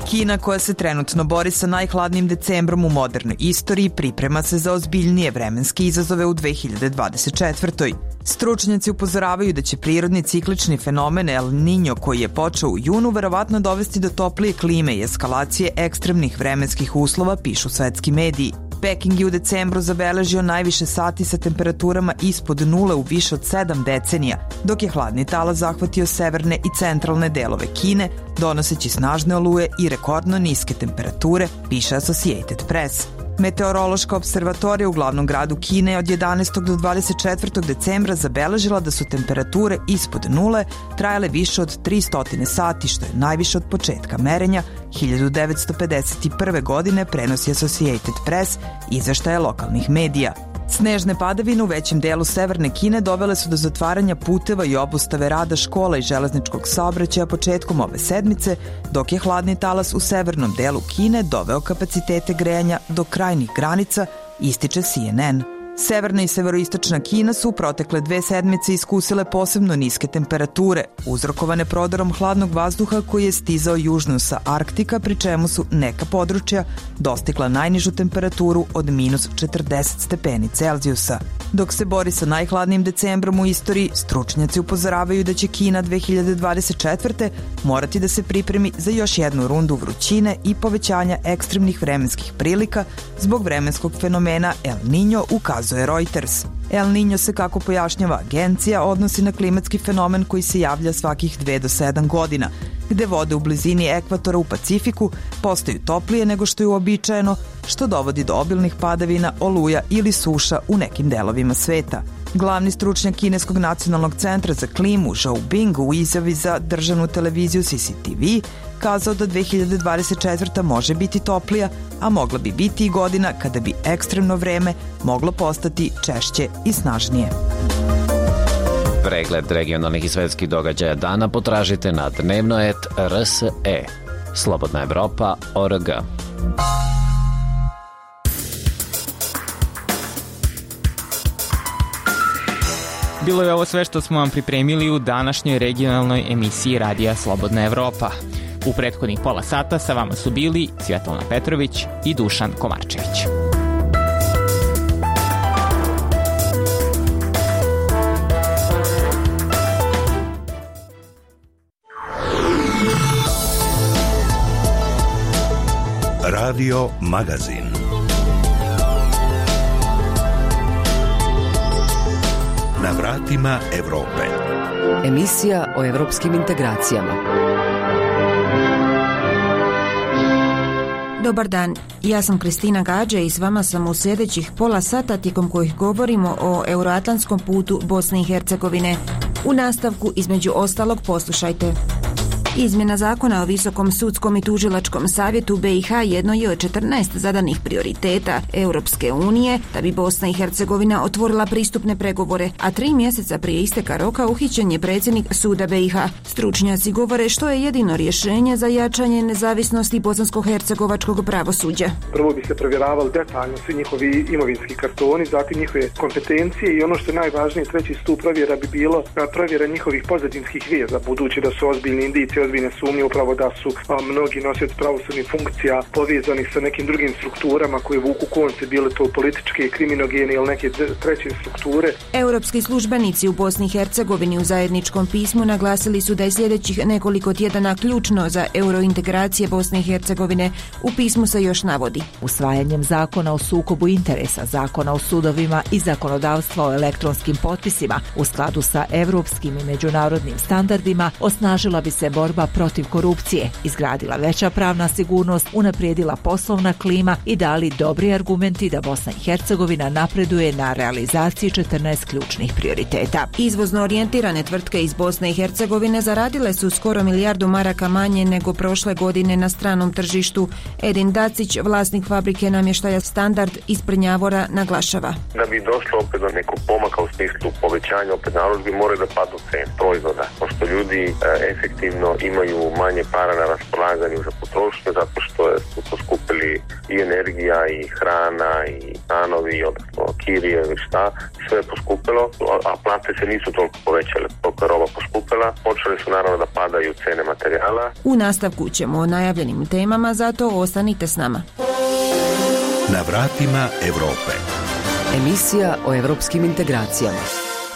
Kina, koja se trenutno bori sa najhladnijim decembrom u modernoj istoriji, priprema se za ozbiljnije vremenske izazove u dve hiljade dvadeset četvrtoj. Stručnjaci upozoravaju da će prirodni ciklični fenomen El Niño, koji je počeo u junu, verovatno dovesti do toplije klime i eskalacije ekstremnih vremenskih uslova, pišu svetski mediji. Peking je u decembru zabeležio najviše sati sa temperaturama ispod nule u više od sedam decenija, dok je hladni talas zahvatio severne i centralne delove Kine, donoseći snažne oluje i rekordno niske temperature, piše Associated Press. Meteorološka observatorija u glavnom gradu Kine od jedanaestog do dvadeset četvrtog decembra zabeležila da su temperature ispod nule trajale više od tristo sati, što je najviše od početka merenja hiljadu devetsto pedeset prve. godine, prenosi Associated Press, izveštaje lokalnih medija. Snežne padavine u većem delu severne Kine dovele su do zatvaranja puteva i obustave rada škola i železničkog saobraćaja početkom ove sedmice, dok je hladni talas u severnom delu Kine doveo kapacitete grejanja do krajnjih granica, ističe C N N. Severna i severoistočna Kina su u protekle dve sedmice iskusile posebno niske temperature, uzrokovane prodorom hladnog vazduha koji je stizao južno sa Arktika, pri čemu su neka područja dostigla najnižu temperaturu od minus četrdeset stepeni Celzijusa. Dok se bori sa najhladnijim decembrom u istoriji, stručnjaci upozoravaju da će Kina dve hiljade dvadeset četvrte. morati da se pripremi za još jednu rundu vrućine i povećanja ekstremnih vremenskih prilika zbog vremenskog fenomena El Niño, ukazuje Reuters. El Niño se, kako pojašnjava agencija, odnosi na klimatski fenomen koji se javlja svakih dve do sedam godina, gde vode u blizini ekvatora u Pacifiku postaju toplije nego što je uobičajeno, što dovodi do obilnih padavina, oluja ili suša u nekim delovima sveta. Glavni stručnjak Kineskog nacionalnog centra za klimu Zhou Bing u izjavi za državnu televiziju C C T V kazao da dve hiljade dvadeset četvrta. može biti toplija, a mogla bi biti i godina kada bi ekstremno vreme moglo postati češće i snažnije. Pregled regionalnih i svetskih događaja dana potražite na dnevnoet R S E. Slobodna Evropa O R G. Bilo je ovo sve što smo vam pripremili u današnjoj regionalnoj emisiji Radija Slobodna Evropa. U prethodnih pola sata sa vama su bili Svjetlana Petrović i Dušan Komarčević. Radio Magazin. Na vratima Evrope. Emisija o evropskim integracijama. Dobar dan, ja sam Kristina Gađe i s vama sam u sljedećih pola sata tijekom kojih govorimo o euroatlantskom putu Bosne i Hercegovine. U nastavku, između ostalog, poslušajte. Izmjena zakona o Visokom sudskom i tužilačkom savjetu B i H jedno je od četrnaest zadanih prioriteta Europske unije da bi Bosna i Hercegovina otvorila pristupne pregovore, a tri mjeseca prije isteka roka uhićen je predsjednik suda B i H. Stručnjaci govore što je jedino rješenje za jačanje nezavisnosti bosansko-hercegovačkog pravosuđa. Prvo bi se provjeravali detaljno svi njihovi imovinski kartoni, zatim njihove kompetencije i ono što je najvažnije, treći stup provjera bi bilo provjera njihovih pozadinskih veza, budući da su ozbiljni indicije, ozbiljne sumnje upravo da su a, mnogi nosioci pravosudnih funkcija povezani sa nekim drugim strukturama koje vuku konce, bile to političke, kriminogene ili neke treće strukture. Europski službenici u Bosni i Hercegovini u zajedničkom pismu naglasili su da je sljedećih nekoliko tjedana ključno za eurointegracije Bosne i Hercegovine. U pismu se još navodi: usvajanjem zakona o sukobu interesa, zakona o sudovima i zakonodavstva o elektronskim potpisima u skladu sa europskim i međunarodnim standardima osnažila bi se borba protiv korupcije, izgradila veća pravna sigurnost, unaprijedila poslovna klima i dali dobri argumenti da Bosna i Hercegovina napreduje na realizaciji četrnaest ključnih prioriteta. Izvozno orijentirane tvrtke iz Bosne i Hercegovine zaradile su skoro milijardu maraka manje nego prošle godine na stranom tržištu. Edin Dacić, vlasnik fabrike namještaja Standard iz Prnjavora, naglašava: da bi došlo opet do nekog pomaka u smislu povećanja opet narudžbi, moraju da padnu cene proizvoda, pošto ljudi e, efektivno imaju manje para na raspolaganju za potrošnju zato što su poskupili i energija i hrana i stanovi, odnosno kirije i šta, sve je poskupilo, a plate se nisu toliko povećale, toliko je roba poskupila, počeli su naravno da padaju cene materijala. U nastavku ćemo o najavljenim temama, zato ostanite s nama. Na vratima Evrope. Emisija o evropskim integracijama.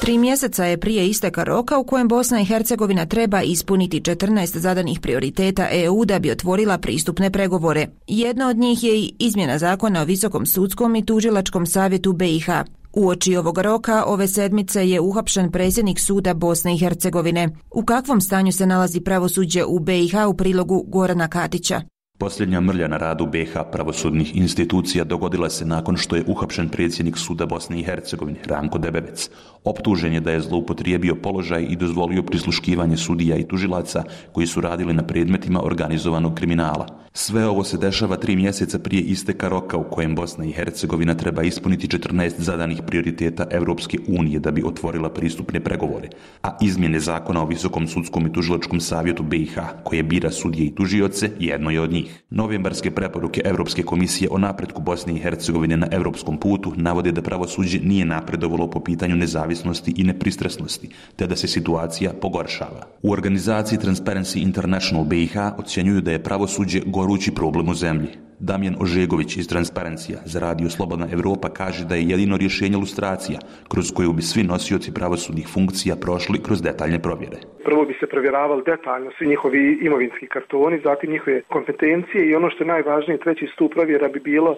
Tri mjeseca je prije isteka roka u kojem Bosna i Hercegovina treba ispuniti četrnaest zadanih prioriteta E U da bi otvorila pristupne pregovore. Jedna od njih je i izmjena zakona o Visokom sudskom i tužilačkom savjetu B i H. Uoči ovog roka ove sedmice je uhapšen predsjednik suda Bosne i Hercegovine. U kakvom stanju se nalazi pravosuđe u B i H u prilogu Gorana Katića? Posljednja mrlja na radu B i H pravosudnih institucija dogodila se nakon što je uhapšen predsjednik suda Bosne i Hercegovine, Ranko Debevec. Optužen je da je zloupotrijebio položaj i dozvolio prisluškivanje sudija i tužilaca koji su radili na predmetima organizovanog kriminala. Sve ovo se dešava tri mjeseca prije isteka roka u kojem Bosna i Hercegovina treba ispuniti četrnaest zadanih prioriteta Europske unije da bi otvorila pristupne pregovore, a izmjene zakona o Visokom sudskom i tužilačkom savjetu B i H, koje bira sudije i tužioce, jedno je od njih. Novembarske preporuke Europske komisije o napretku Bosne i Hercegovine na europskom putu navode da pravosuđe nije napredovalo po pitanju nezavisnosti i nepristrasnosti, te da se situacija pogoršava. U organizaciji Transparency International B i H ocjenjuju da je pravosuđe gorući problem u zemlji. Damjan Ožegović iz Transparencija za radio Slobodna Evropa kaže da je jedino rješenje lustracija, kroz koju bi svi nosioci pravosudnih funkcija prošli kroz detaljne provjere. Prvo bi se provjeravali detaljno svi njihovi imovinski kartoni, zatim njihove kompetencije i ono što je najvažnije, treći stup provjera bi bilo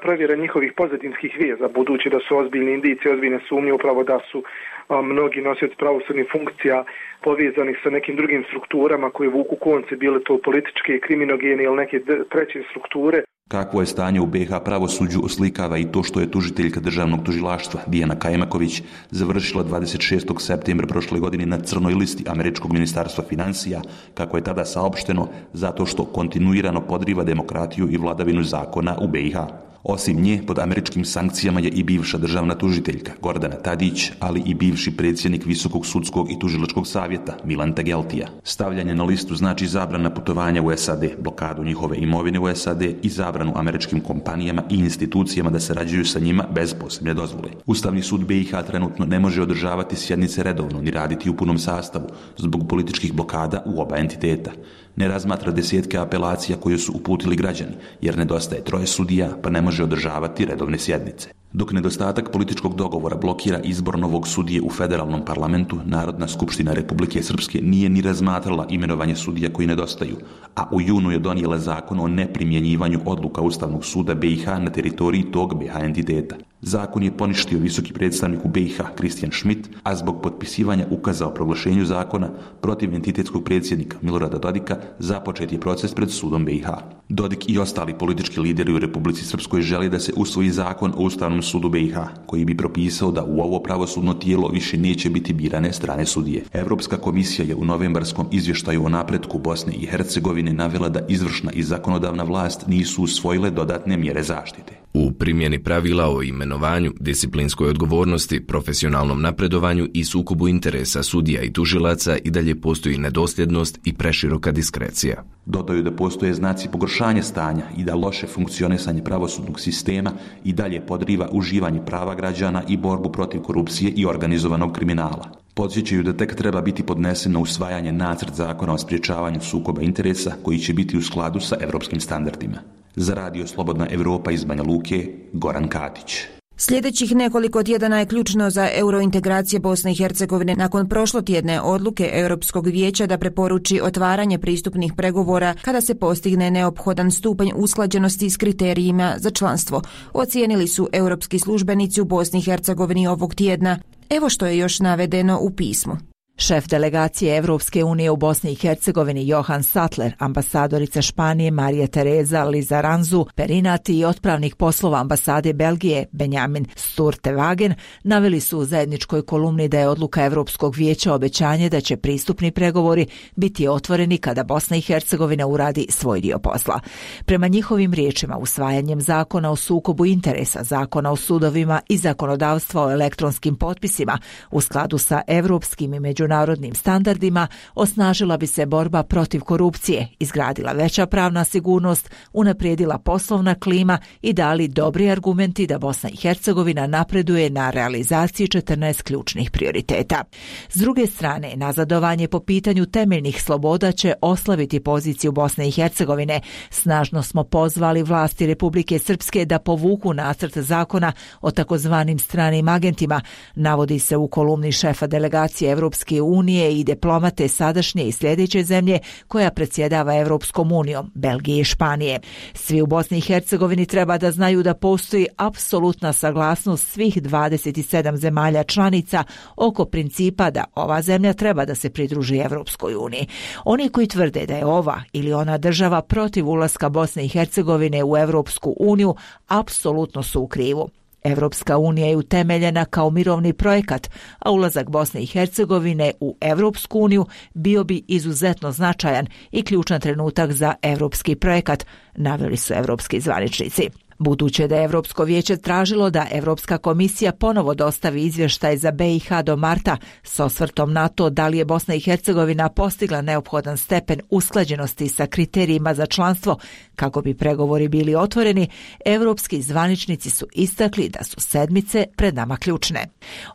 provjera njihovih pozadinskih veza, budući da su ozbiljni indicije, ozbiljne sumnje upravo da su a, mnogi nosioci pravosudnih funkcija povezani sa nekim drugim strukturama koje vuku konce, bile to političke, kriminogene ili neke treće strukture. Kakvo je stanje u B i H pravosuđu oslikava i to što je tužiteljka državnog tužilaštva Dijana Kajmaković završila dvadeset šestog septembra prošle godine na crnoj listi Američkog ministarstva financija, kako je tada saopšteno, zato što kontinuirano podriva demokratiju i vladavinu zakona u B i H. Osim nje, pod američkim sankcijama je i bivša državna tužiteljka Gordana Tadić, ali i bivši predsjednik Visokog sudskog i tužilačkog savjeta Milan Tegeltija. Stavljanje na listu znači zabrana putovanja u S A D, blokadu njihove imovine u S A D i zabranu američkim kompanijama i institucijama da sarađuju sa njima bez posebne dozvole. Ustavni sud B i H trenutno ne može održavati sjednice redovno ni raditi u punom sastavu zbog političkih blokada u oba entiteta. Ne razmatra desetke apelacija koje su uputili građani, jer nedostaje troje sudija pa ne može održavati redovne sjednice. Dok nedostatak političkog dogovora blokira izbor novog sudije u federalnom parlamentu, Narodna skupština Republike Srpske nije ni razmatrala imenovanje sudija koji nedostaju, a u junu je donijela zakon o neprimjenjivanju odluka Ustavnog suda B i H na teritoriji tog B i H entiteta. Zakon je poništio visoki predstavnik u B i H Kristijan Schmidt, a zbog potpisivanja ukaza o proglašenju zakona protiv entitetskog predsjednika Milorada Dodika započet je proces pred sudom B i H. Dodik i ostali politički lideri u Republici Srpskoj želi da se usvoji zakon o Ustavnom sudu B i H, koji bi propisao da u ovo pravosudno tijelo više neće biti birane strane sudije. Evropska komisija je u novembarskom izvještaju o napretku Bosne i Hercegovine navela da izvršna i zakonodavna vlast nisu usvojile dodatne mjere zaštite. U primjeni pravila o imenovanju, disciplinskoj odgovornosti, profesionalnom napredovanju i sukobu interesa sudija i tužilaca i dalje postoji nedosljednost i preširoka diskrecija. Dodaju da postoje znaci pogoršanja stanja i da loše funkcionisanje pravosudnog sistema i dalje podriva uživanje prava građana i borbu protiv korupcije i organizovanog kriminala. Podsjećaju da tek treba biti podnesen na usvajanje nacrt zakona o sprječavanju sukoba interesa koji će biti u skladu sa evropskim standardima. Za Radio Slobodna Evropa iz Banja Luke, Goran Katić. Sljedećih nekoliko tjedana je ključno za eurointegracije Bosne i Hercegovine nakon prošlotjedne odluke Europskog vijeća da preporuči otvaranje pristupnih pregovora kada se postigne neophodan stupanj usklađenosti s kriterijima za članstvo, ocijenili su europski službenici u Bosni i Hercegovini ovog tjedna. Evo što je još navedeno u pismu. Šef delegacije Evropske unije u Bosni i Hercegovini Johan Sattler, ambasadorica Španije Marija Tereza Lizaranzu Perinati i otpravnik poslova ambasade Belgije Benjamin Sturtewagen naveli su u zajedničkoj kolumni da je odluka Evropskog vijeća obećanje da će pristupni pregovori biti otvoreni kada Bosna i Hercegovina uradi svoj dio posla. Prema njihovim riječima, usvajanjem zakona o sukobu interesa, zakona o sudovima i zakonodavstva o elektronskim potpisima u skladu sa evropskim i međunarodnim međunarodnim standardima, osnažila bi se borba protiv korupcije, izgradila veća pravna sigurnost, unaprijedila poslovna klima i dali dobri argumenti da Bosna i Hercegovina napreduje na realizaciji četrnaest ključnih prioriteta. S druge strane, nazadovanje po pitanju temeljnih sloboda će oslabiti poziciju Bosne i Hercegovine. Snažno smo pozvali vlasti Republike Srpske da povuku nacrt zakona o takozvanim stranim agentima, navodi se u kolumni šefa delegacije Evropske unije i diplomate sadašnje i sljedeće zemlje koja predsjedava Evropskom unijom, Belgije i Španije. Svi u Bosni i Hercegovini treba da znaju da postoji apsolutna saglasnost svih dvadeset sedam zemalja članica oko principa da ova zemlja treba da se pridruži Evropskoj uniji. Oni koji tvrde da je ova ili ona država protiv ulaska Bosne i Hercegovine u Evropsku uniju apsolutno su u krivu. Evropska unija je utemeljena kao mirovni projekat, a ulazak Bosne i Hercegovine u Evropsku uniju bio bi izuzetno značajan i ključan trenutak za evropski projekat, naveli su evropski zvaničnici. Buduće da je Evropsko vijeće tražilo da Evropska komisija ponovo dostavi izvještaj za B i H do marta s osvrtom na to da li je Bosna i Hercegovina postigla neophodan stepen usklađenosti sa kriterijima za članstvo kako bi pregovori bili otvoreni, evropski zvaničnici su istakli da su sedmice pred nama ključne.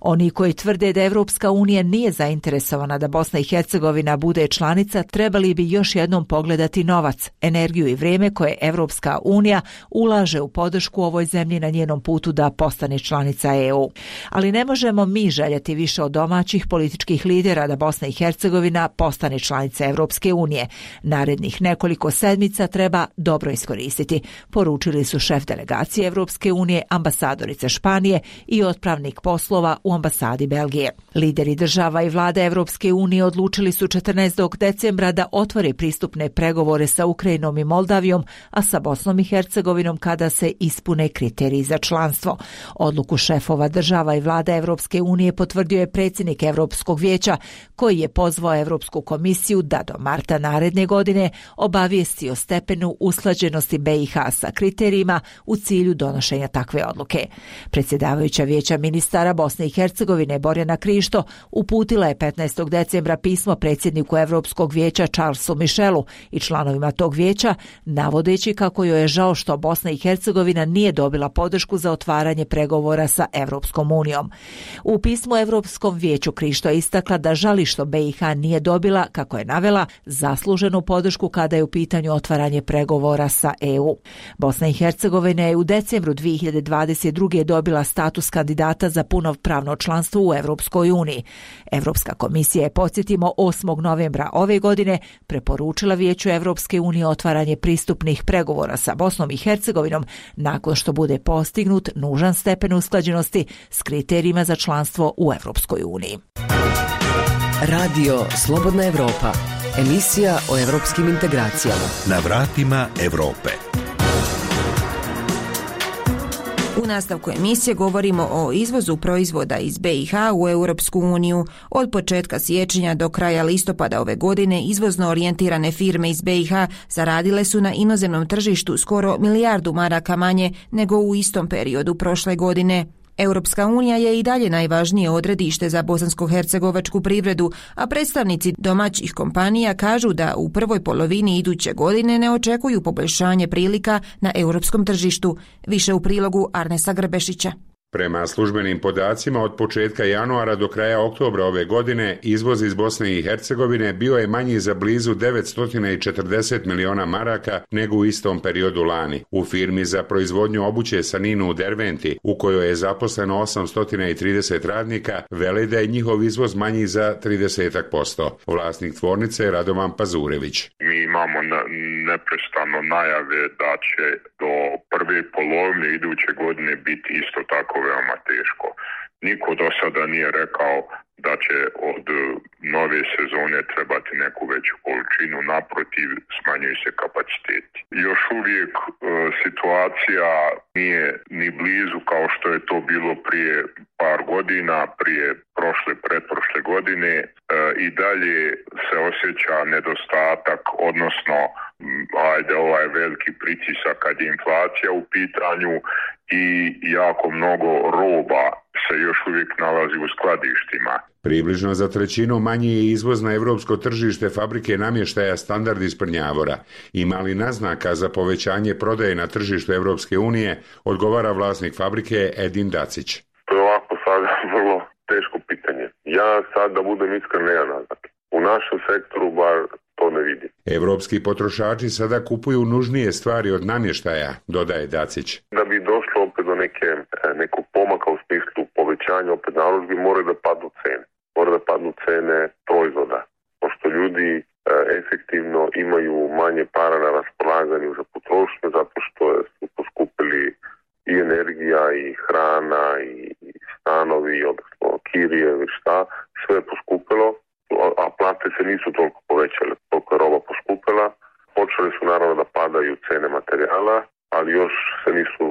Oni koji tvrde da Evropska unija nije zainteresovana da Bosna i Hercegovina bude članica, trebali bi još jednom pogledati novac, energiju i vrijeme koje Evropska unija ulaže u podršku ovoj zemlji na njenom putu da postane članica E U. Ali ne možemo mi željeti više od domaćih političkih lidera da Bosna i Hercegovina postane članica Evropske unije. Narednih nekoliko sedmica treba dobro iskoristiti, poručili su šef delegacije Evropske unije, ambasadorica Španije i otpravnik poslova u ambasadi Belgije. Lideri država i vlade Evropske unije odlučili su četrnaestog decembra da otvore pristupne pregovore sa Ukrajinom i Moldavijom, a sa Bosnom i Hercegovinom kada se se ispune kriteriji za članstvo. Odluku šefova država i vlada Evropske unije potvrdio je predsjednik Evropskog vijeća, koji je pozvao Evropsku komisiju da do marta naredne godine obavijesti o stepenu usklađenosti B i H sa kriterijima u cilju donošenja takve odluke. Predsjedavajuća vijeća ministara Bosne i Hercegovine Borjana Krišto uputila je petnaestog decembra pismo predsjedniku Evropskog vijeća Charlesu Michelu i članovima tog vijeća, navodeći kako joj je žao što Bosna i Hercegovina nije dobila podršku za otvaranje pregovora sa Evropskom unijom. U pismu Evropskom vijeću Krišto je istakla da žali što B i H nije dobila, kako je navela, zasluženu podršku kada je u pitanju otvaranje pregovora sa E U. Bosna i Hercegovina je u decembru dvije hiljade dvadeset druge dobila status kandidata za punopravno članstvo u Evropskoj uniji. Evropska komisija je, podsjetimo, osmog novembra ove godine preporučila Vijeću Evropske unije otvaranje pristupnih pregovora sa Bosnom i Hercegovinom nakon što bude postignut nužan stepen usklađenosti s kriterijima za članstvo u Evropskoj uniji. Radio Slobodna Evropa, emisija o evropskim integracijama. Na vratima Evrope. U nastavku emisije govorimo o izvozu proizvoda iz B i H u Europsku uniju. Od početka siječnja do kraja listopada ove godine izvozno orijentirane firme iz B i H zaradile su na inozemnom tržištu skoro milijardu maraka manje nego u istom periodu prošle godine. Europska unija je i dalje najvažnije odredište za bosansko-hercegovačku privredu, a predstavnici domaćih kompanija kažu da u prvoj polovini iduće godine ne očekuju poboljšanje prilika na europskom tržištu. Više u prilogu Arnesa Grbešića. Prema službenim podacima, od početka januara do kraja oktobra ove godine izvoz iz Bosne i Hercegovine bio je manji za blizu devetsto četrdeset miliona maraka nego u istom periodu lani. U firmi za proizvodnju obuće Saninu u Derventi, u kojoj je zaposleno osamsto trideset radnika, vele da je njihov izvoz manji za trideset posto. Vlasnik tvornice je Radovan Pazurević. Mi imamo neprestano najave da će do prve polovine iduće godine biti isto tako veoma teško. Niko do sada nije rekao da će od nove sezone trebati neku veću količinu, naprotiv smanjuju se kapaciteti. Još uvijek e, situacija nije ni blizu kao što je to bilo prije par godina, prije prošle, pretprošle godine. E, I dalje se osjeća nedostatak, odnosno ajde ovaj veliki pritisak kad je inflacija u pitanju i jako mnogo roba se još uvijek nalazi u skladištima. Približno za trećinu manji je izvoz na evropsko tržište fabrike namještaja Standard iz Prnjavora. Ima li naznaka za povećanje prodaje na tržištu Evropske unije, odgovara vlasnik fabrike Edin Dacić. To je ovako sad vrlo teško pitanje. Ja sad, da budem iskren, nema naznake. U našem sektoru bar to ne vidim. Evropski potrošači sada kupuju nužnije stvari od namještaja, dodaje Dacić. Da bi došlo opet do neke, nekog pomaka u smislu povećanja opet narudžbi, mora da padnu cene. Mora da padnu cene proizvoda. Pošto ljudi e, efektivno imaju manje para na raspolaganju za potrošnju, zato što su poskupili i energija, i hrana, i, i stanovi, odnosno kirije, ili šta, sve je poskupilo, a plate se nisu toliko povećale, toliko je roba poskupila. Počeli su naravno da padaju cene materijala, ali još se nisu,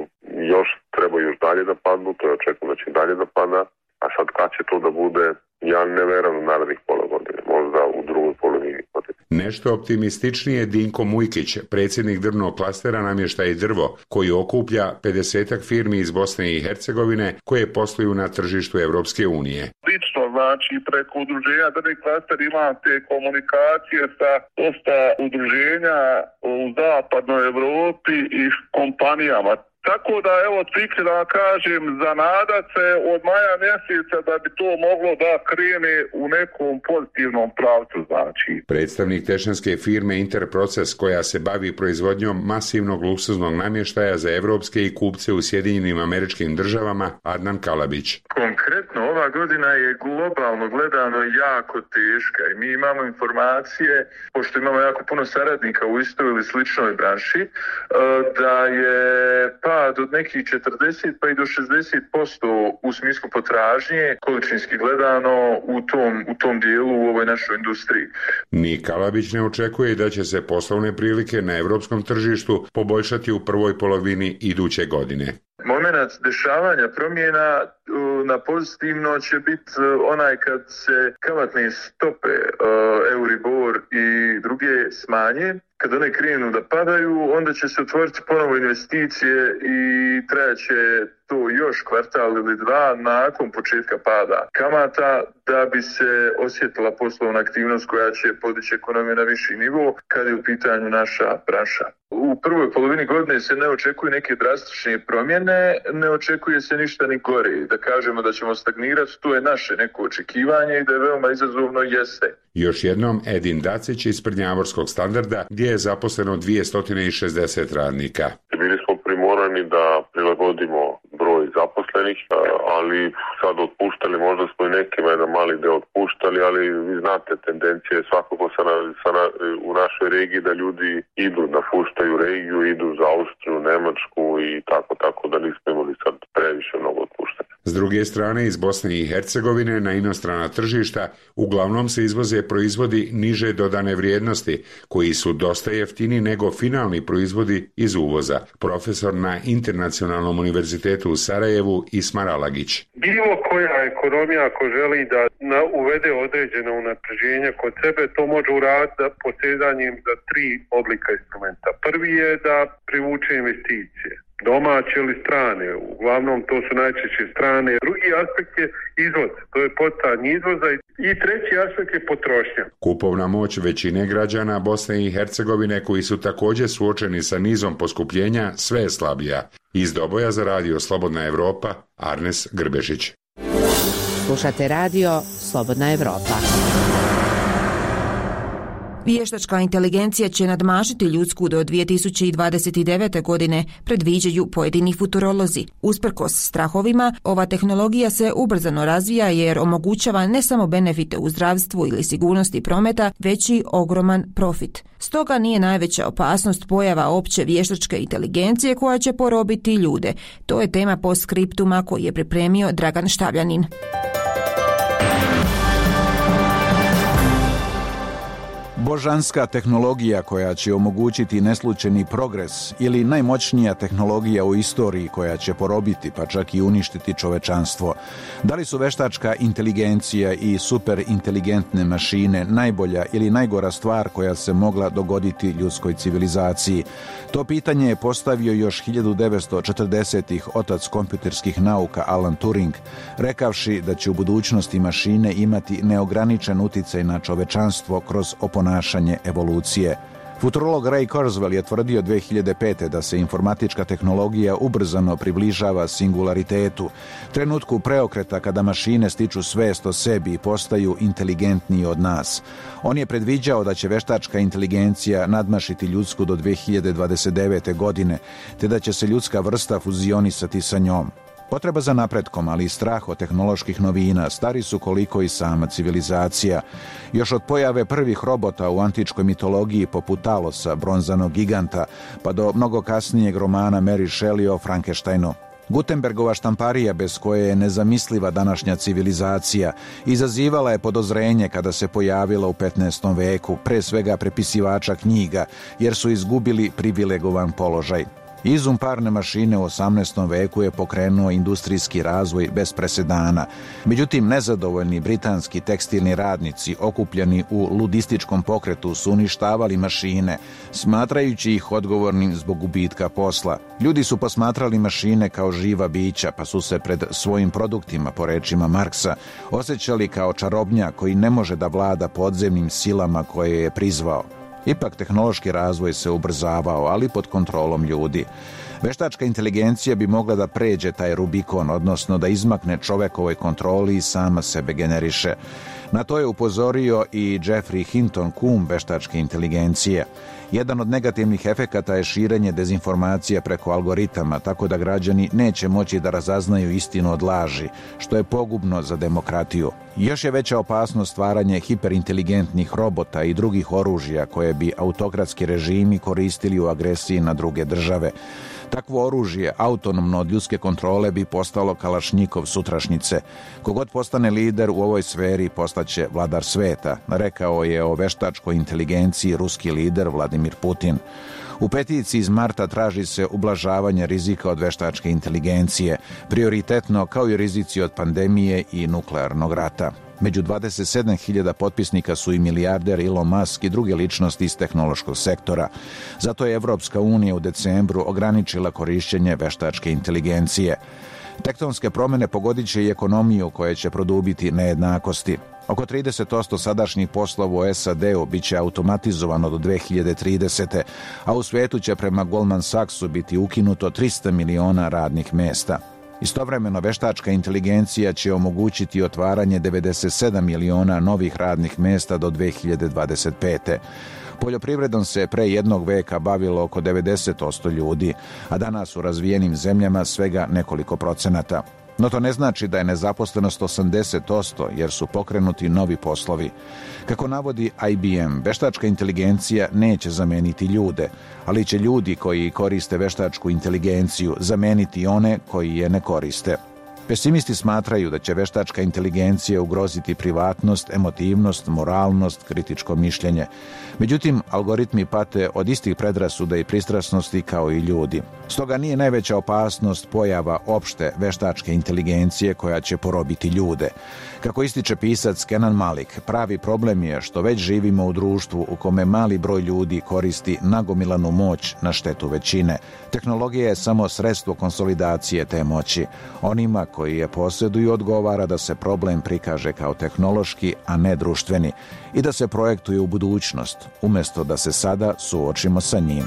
još treba još dalje da padnu, to je očekujem da će dalje da pada, a sad kad će to da bude, ja ne verujem u narednih pola godine, možda u drugoj polovini godine. Nešto optimističnije Dinko Mujkić, predsjednik drvnog klastera Namještaj i drvo, koji okuplja pedesetak firmi iz Bosne i Hercegovine koje posluju na tržištu Evropske unije. Lično, znači, preko udruženja drvni klaster ima te komunikacije sa dosta udruženja u zapadnoj Evropi i kompanijama. Tako da, evo, cikli da kažem, zanada se od maja mjeseca da bi to moglo da krene u nekom pozitivnom pravcu, znači. Predstavnik tešanske firme Interproces, koja se bavi proizvodnjom masivnog luksuznog namještaja za evropske i kupce u Sjedinjenim Američkim Državama, Adnan Kalabić. Konkretno, ova godina je globalno gledano jako teška i mi imamo informacije, pošto imamo jako puno saradnika u istoj ili sličnoj branši, da je pad od nekih četrdeset pa i do šezdeset posto u smislu potražnje, količinski gledano u tom, u tom dijelu u ovoj našoj industriji. Ni Kalabić ne očekuje da će se poslovne prilike na evropskom tržištu poboljšati u prvoj polovini iduće godine. Momenat dešavanja promjena na pozitivno će biti onaj kad se kamatne stope Euribor i druge smanje. Kad one krenu da padaju, onda će se otvoriti ponovo investicije i trajaće to još kvartal ili dva nakon početka pada kamata da bi se osjetila poslovna aktivnost koja će podići ekonomiju na viši nivo kad je u pitanju naša branša. U prvoj polovini godine se ne očekuju neke drastične promjene, ne očekuje se ništa ni gore. Da kažemo da ćemo stagnirati, to je naše neko očekivanje i da je veoma izazovno jeste. Još jednom Edin Dacić iz Prnjavorskog standarda gdje je zaposleno dvjesto šezdeset radnika. Bili smo primorani da prilagodimo broj zaposlenih, ali sad otpuštali, možda smo i nekima jedan mali deo otpuštali, ali vi znate tendencije svakako sa na, sa na, u našoj regiji da ljudi idu, napuštaju regiju, idu za Austriju, Nemačku i tako, tako da nismo imali sad previše mnogo otpuštanja. S druge strane, iz Bosne i Hercegovine na inostrana tržišta uglavnom se izvoze proizvodi niže dodane vrijednosti, koji su dosta jeftini nego finalni proizvodi iz uvoza. Profesor na Internacionalnom univerzitetu u Sarajevu Ismar Alagić. Bilo koja ekonomija ako želi da na, uvede određeno unapređenje kod sebe, to može uraditi posezanjem za tri oblika instrumenta. Prvi je da privuče investicije, domaće ili strane, uglavnom to su najčešće strane. Drugi aspekt je izvoz, to je poticanje izvoza i treći aspekt je potrošnja. Kupovna moć većine građana Bosne i Hercegovine koji su također suočeni sa nizom poskupljenja sve je slabija. Iz Doboja za radio Slobodna Evropa, Arnes Grbešić. Slušate radio Slobodna Evropa. Vještačka inteligencija će nadmašiti ljudsku do dvije tisuće dvadeset devete. godine, predviđaju pojedini futurolozi. Usprkos strahovima, ova tehnologija se ubrzano razvija jer omogućava ne samo benefite u zdravstvu ili sigurnosti prometa, već i ogroman profit. Stoga nije najveća opasnost pojava opće vještačke inteligencije koja će porobiti ljude. To je tema postskriptuma koji je pripremio Dragan Štavljanin. Božanska tehnologija koja će omogućiti neslučajni progres ili najmoćnija tehnologija u istoriji koja će porobiti pa čak i uništiti čovečanstvo. Da li su veštačka inteligencija i superinteligentne mašine najbolja ili najgora stvar koja se mogla dogoditi ljudskoj civilizaciji? To pitanje je postavio još hiljadu devetsto četrdesetih otac kompjuterskih nauka Alan Turing, rekavši da će u budućnosti mašine imati neograničen uticaj na čovečanstvo kroz oponašanje evolucije. Futurolog Ray Kurzweil je tvrdio dvije hiljade pete. da se informatička tehnologija ubrzano približava singularitetu, trenutku preokreta kada mašine stiču svest o sebi i postaju inteligentniji od nas. On je predviđao da će veštačka inteligencija nadmašiti ljudsku do dvije hiljade dvadeset devete. godine, te da će se ljudska vrsta fuzionisati sa njom. Potreba za napretkom, ali i strah od tehnoloških novina stari su koliko i sama civilizacija. Još od pojave prvih robota u antičkoj mitologiji poput Talosa, bronzanog giganta, pa do mnogo kasnijeg romana Mary Shelley o Frankensteinu. Gutenbergova štamparija, bez koje je nezamisliva današnja civilizacija, izazivala je podozrenje kada se pojavila u petnaestom veku, pre svega prepisivača knjiga, jer su izgubili privilegovan položaj. Izum parne mašine u osamnaestom veku je pokrenuo industrijski razvoj bez presedana. Međutim, nezadovoljni britanski tekstilni radnici okupljeni u ludističkom pokretu su uništavali mašine, smatrajući ih odgovornim zbog gubitka posla. Ljudi su posmatrali mašine kao živa bića, pa su se pred svojim produktima, po rečima Marksa, osjećali kao čarobnjak koji ne može da vlada podzemnim silama koje je prizvao. Ipak tehnološki razvoj se ubrzavao, ali pod kontrolom ljudi. Veštačka inteligencija bi mogla da pređe taj Rubikon, odnosno da izmakne čovekovoj kontroli i sama sebe generiše. Na to je upozorio i Jeffrey Hinton, kum veštačke inteligencije. Jedan od negativnih efekata je širenje dezinformacija preko algoritama, tako da građani neće moći da razaznaju istinu od laži, što je pogubno za demokratiju. Još je veća opasnost stvaranje hiperinteligentnih robota i drugih oružja koje bi autokratski režimi koristili u agresiji na druge države. Takvo oružje, autonomno od ljudske kontrole, bi postalo Kalašnjikov sutrašnjice. Kogod postane lider u ovoj sferi postaće vladar sveta, rekao je o veštačkoj inteligenciji ruski lider Vladimir Putin. U peticiji iz marta traži se ublažavanje rizika od veštačke inteligencije, prioritetno kao i rizici od pandemije i nuklearnog rata. Među dvadeset sedam hiljada potpisnika su i milijarder Elon Musk i druge ličnosti iz tehnološkog sektora. Zato je Evropska unija u decembru ograničila korišćenje veštačke inteligencije. Tektonske promjene pogodit će i ekonomiju koja će produbiti nejednakosti. Oko trideset posto sadašnjih poslova u S A D-u bit će automatizovano do dve hiljade tridesete. a u svijetu će prema Goldman Sachsu biti ukinuto trista miliona radnih mjesta. Istovremeno, veštačka inteligencija će omogućiti otvaranje devedeset sedam miliona novih radnih mjesta do dve hiljade dvadeset pete. Poljoprivredom se pre jednog veka bavilo oko devedeset posto ljudi, a danas u razvijenim zemljama svega nekoliko procenata. No to ne znači da je nezaposlenost osamdeset posto, jer su pokrenuti novi poslovi. Kako navodi I B M, veštačka inteligencija neće zameniti ljude, ali će ljudi koji koriste veštačku inteligenciju zameniti one koji je ne koriste. Pesimisti smatraju da će veštačka inteligencija ugroziti privatnost, emotivnost, moralnost, kritičko mišljenje. Međutim, algoritmi pate od istih predrasuda i pristrasnosti kao i ljudi. Stoga nije najveća opasnost pojava opšte veštačke inteligencije koja će porobiti ljude. Kako ističe pisac Kenan Malik, pravi problem je što već živimo u društvu u kome mali broj ljudi koristi nagomilanu moć na štetu većine. Tehnologija je samo sredstvo konsolidacije te moći. Onima koji je posjeduju odgovara da se problem prikaže kao tehnološki, a ne društveni, i da se projektuje u budućnost, umjesto da se sada suočimo sa njim.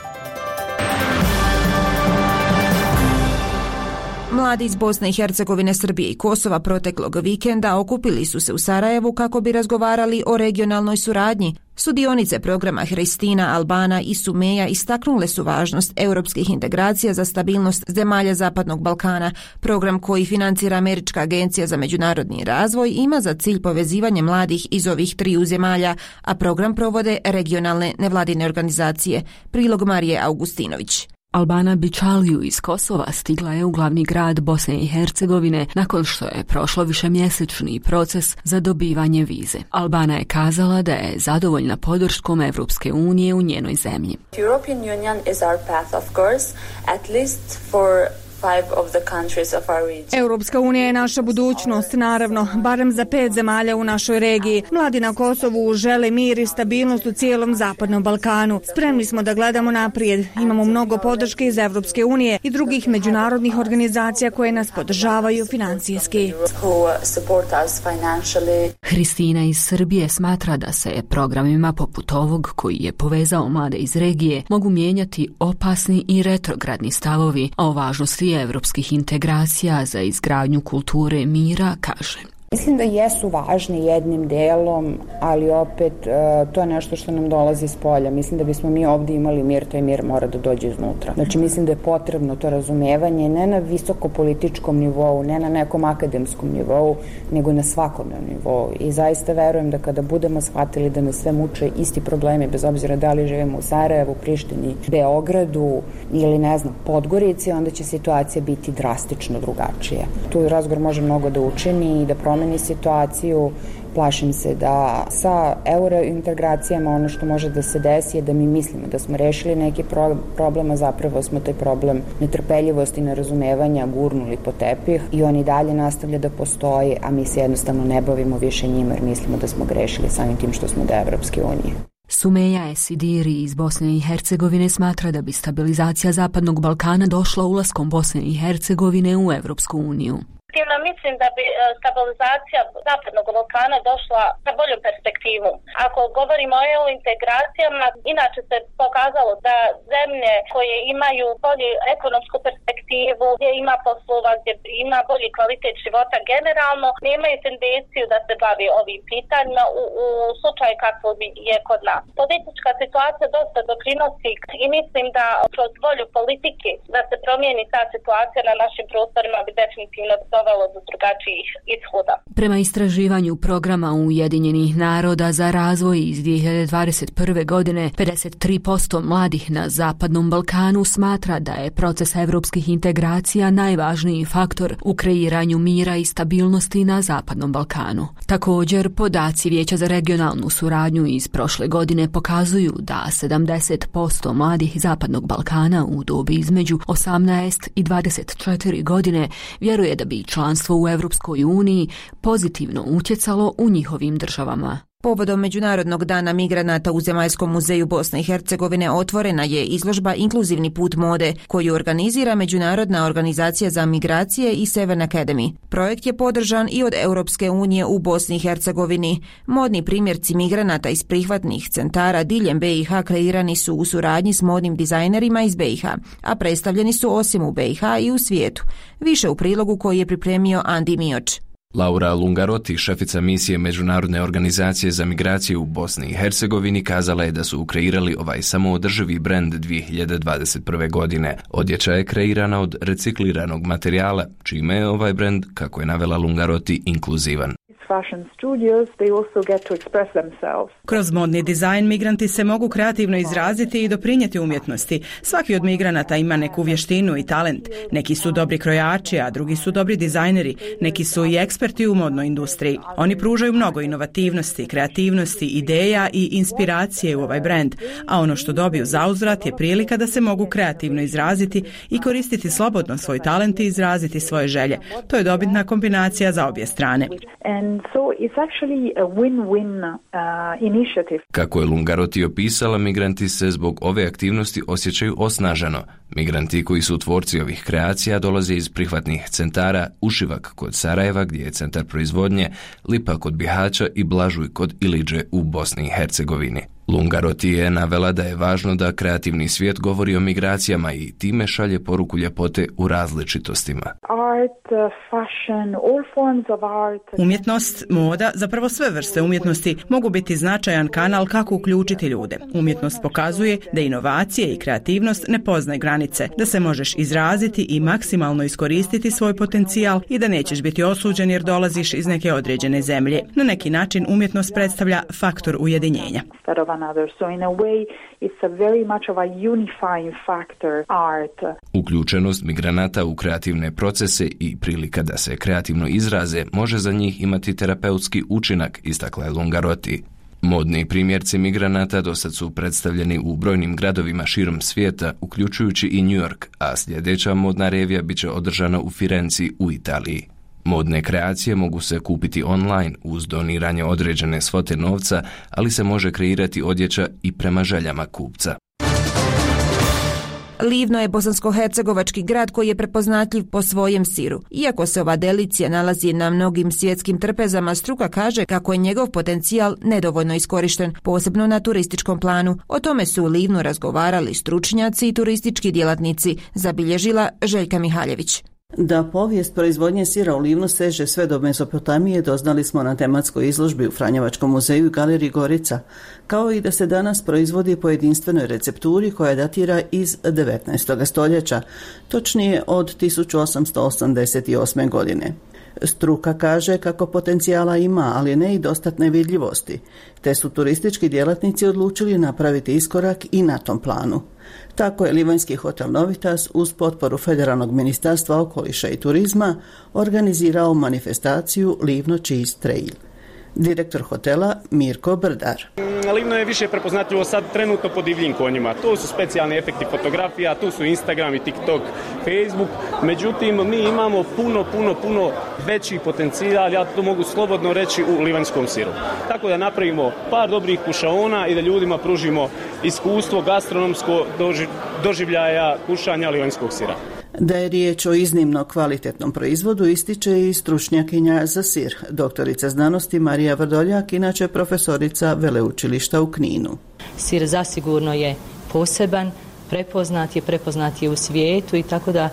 Mladi iz Bosne i Hercegovine, Srbije i Kosova proteklog vikenda okupili su se u Sarajevu kako bi razgovarali o regionalnoj suradnji. Sudionice programa Hristina, Albana i Sumeja istaknule su važnost europskih integracija za stabilnost zemalja Zapadnog Balkana. Program koji financira Američka agencija za međunarodni razvoj ima za cilj povezivanje mladih iz ovih triju zemalja, a program provode regionalne nevladine organizacije. Prilog Marije Augustinović. Albana Bičaliju iz Kosova stigla je u glavni grad Bosne i Hercegovine nakon što je prošlo višemjesečni proces za dobivanje vize. Albana je kazala da je zadovoljna podrškom Evropske unije u njenoj zemlji. European Union is our path, of course, at least for Europska unija je naša budućnost, naravno, barem za pet zemalja u našoj regiji. Mladi na Kosovu žele mir i stabilnost u cijelom Zapadnom Balkanu. Spremni smo da gledamo naprijed. Imamo mnogo podrške iz Europske unije i drugih međunarodnih organizacija koje nas podržavaju financijski. Hristina iz Srbije smatra da se programima poput ovog, koji je povezao mlade iz regije, mogu mijenjati opasni i retrogradni stavovi, a o važnosti evropskih integracija za izgradnju kulture mira kaže. Mislim da jesu važni jednim delom, ali opet to je nešto što nam dolazi s polja. Mislim da bismo mi ovdje imali mir, taj mir mora da dođe iznutra. Znači mislim da je potrebno to razumevanje ne na visokopolitičkom nivou, ne na nekom akademskom nivou, nego na svakodnevnom nivou. I zaista verujem da kada budemo shvatili da nas sve muče isti problemi, bez obzira da li živimo u Sarajevu, Prištini, Beogradu ili ne znam, Podgorici, onda će situacija biti drastično drugačija. Tu razgovor može mnogo da učini i da promeni situaciju. Plašim se da sa eurointegracijama ono što može da se desi je da mi mislimo da smo rešili neki pro- problem, a zapravo smo taj problem netrpeljivosti i nerazumevanja gurnuli po tepih i on i dalje nastavlja da postoji, a mi se jednostavno ne bavimo više njima jer mislimo da smo grešili samim tim što smo da Evropske unije. Sumeja Esidiri iz Bosne i Hercegovine smatra da bi stabilizacija Zapadnog Balkana došla ulaskom Bosne i Hercegovine u Evropsku uniju. Mislim da bi stabilizacija Zapadnog Balkana došla sa boljom perspektivom. Ako govorimo o E U integracijama, inače se pokazalo da zemlje koje imaju bolju ekonomsku perspektivu, gdje ima poslova, gdje ima bolji kvalitet života generalno, nemaju tendenciju da se bavi ovim pitanjima u, u slučaju kako je kod nas. Politička situacija dosta doprinosi i mislim da kroz volju politike da se promijeni ta situacija na našim prostorima bi definitivno dovelo do drugačijih ishoda. Prema istraživanju programa Ujedinjenih naroda za razvoj iz dvije hiljade dvadeset prve. godine, pedeset tri posto mladih na Zapadnom Balkanu smatra da je proces evropskih integracija najvažniji faktor u kreiranju mira i stabilnosti na Zapadnom Balkanu. Također, podaci Vijeća za regionalnu suradnju iz prošle godine pokazuju da sedamdeset posto mladih Zapadnog Balkana u dobi između osamnaest i dvadeset četiri godine vjeruje da bi članstvo u Europskoj uniji pozitivno utjecalo u njihovim državama. Povodom Međunarodnog dana migranata u Zemaljskom muzeju Bosne i Hercegovine otvorena je izložba Inkluzivni put mode, koju organizira Međunarodna organizacija za migracije i Seven Academy. Projekt je podržan i od Europske unije u Bosni i Hercegovini. Modni primjerci migranata iz prihvatnih centara diljem B i H kreirani su u suradnji s modnim dizajnerima iz B i H, a predstavljeni su osim u B i H i u svijetu. Više u prilogu koji je pripremio Andi Mioč. Laura Lungaroti, šefica misije Međunarodne organizacije za migracije u Bosni i Hercegovini, kazala je da su kreirali ovaj samoodrživi brend dvije hiljade dvadeset prve. godine. Odjeća je kreirana od recikliranog materijala, čime je ovaj brend, kako je navela Lungaroti, inkluzivan. Kroz modni dizajn migranti se mogu kreativno izraziti i doprinijeti umjetnosti. Svaki od migranata ima neku vještinu i talent. Neki su dobri krojači, a drugi su dobri dizajneri. Neki su i eksperti u modnoj industriji. Oni pružaju mnogo inovativnosti, kreativnosti, ideja i inspiracije u ovaj brend, a ono što dobiju zauzvrat je prilika da se mogu kreativno izraziti i koristiti slobodno svoj talent i izraziti svoje želje. To je dobitna kombinacija za obje strane. Kako je Lungaroti opisala, migranti se zbog ove aktivnosti osjećaju osnaženo. Migranti koji su tvorci ovih kreacija dolaze iz prihvatnih centara Ušivak kod Sarajeva, gdje je centar proizvodnje, Lipa kod Bihaća i Blažuj kod Iliđe u Bosni i Hercegovini. Lungaroti je navela da je važno da kreativni svijet govori o migracijama i time šalje poruku ljepote u različitostima. Umjetnost, moda, zapravo sve vrste umjetnosti mogu biti značajan kanal kako uključiti ljude. Umjetnost pokazuje da inovacije i kreativnost ne poznaju granice, da se možeš izraziti i maksimalno iskoristiti svoj potencijal i da nećeš biti osuđen jer dolaziš iz neke određene zemlje. Na neki način umjetnost predstavlja faktor ujedinjenja. So in a way it's a very much of a unifying factor, art. Uključenost migranata u kreativne procese i prilika da se kreativno izraze može za njih imati terapeutski učinak, istakla je Lungaroti. Modni primjerci migranata dosad su predstavljeni u brojnim gradovima širom svijeta, uključujući i New York, a sljedeća modna revija biće održana u Firenci u Italiji. Modne kreacije mogu se kupiti online uz doniranje određene svote novca, ali se može kreirati odjeća i prema željama kupca. Livno je bosansko-hercegovački grad koji je prepoznatljiv po svojem siru. Iako se ova delicija nalazi na mnogim svjetskim trpezama, struka kaže kako je njegov potencijal nedovoljno iskorišten, posebno na turističkom planu. O tome su u Livnu razgovarali stručnjaci i turistički djelatnici, zabilježila Željka Mihaljević. Da povijest proizvodnje sira u Livnu seže sve do Mezopotamije doznali smo na tematskoj izložbi u Franjevačkom muzeju i galeriji Gorica, kao i da se danas proizvodi po jedinstvenoj recepturi koja datira iz devetnaestog stoljeća, točnije od tisuću osamsto osamdeset osme. godine. Struka kaže kako potencijala ima, ali ne i dostatne vidljivosti, te su turistički djelatnici odlučili napraviti iskorak i na tom planu. Tako je livanjski hotel Novitas uz potporu Federalnog ministarstva okoliša i turizma organizirao manifestaciju Livno Cheese Trail. Direktor hotela Mirko Brdar. Livno je više prepoznatljivo sad trenutno po divljim konjima. Tu su specijalni efekti fotografija, tu su Instagram i TikTok, Facebook. Međutim, mi imamo puno, puno, puno veći potencijal, ja to mogu slobodno reći, u livanjskom siru. Tako da napravimo par dobrih kušaona i da ljudima pružimo iskustvo gastronomsko doživljaja kušanja livanjskog sira. Da je riječ o iznimno kvalitetnom proizvodu ističe i stručnjakinja za sir, doktorica znanosti Marija Vrdoljak, inače profesorica veleučilišta u Kninu. Sir zasigurno je poseban, prepoznat je, prepoznat je u svijetu i tako da e,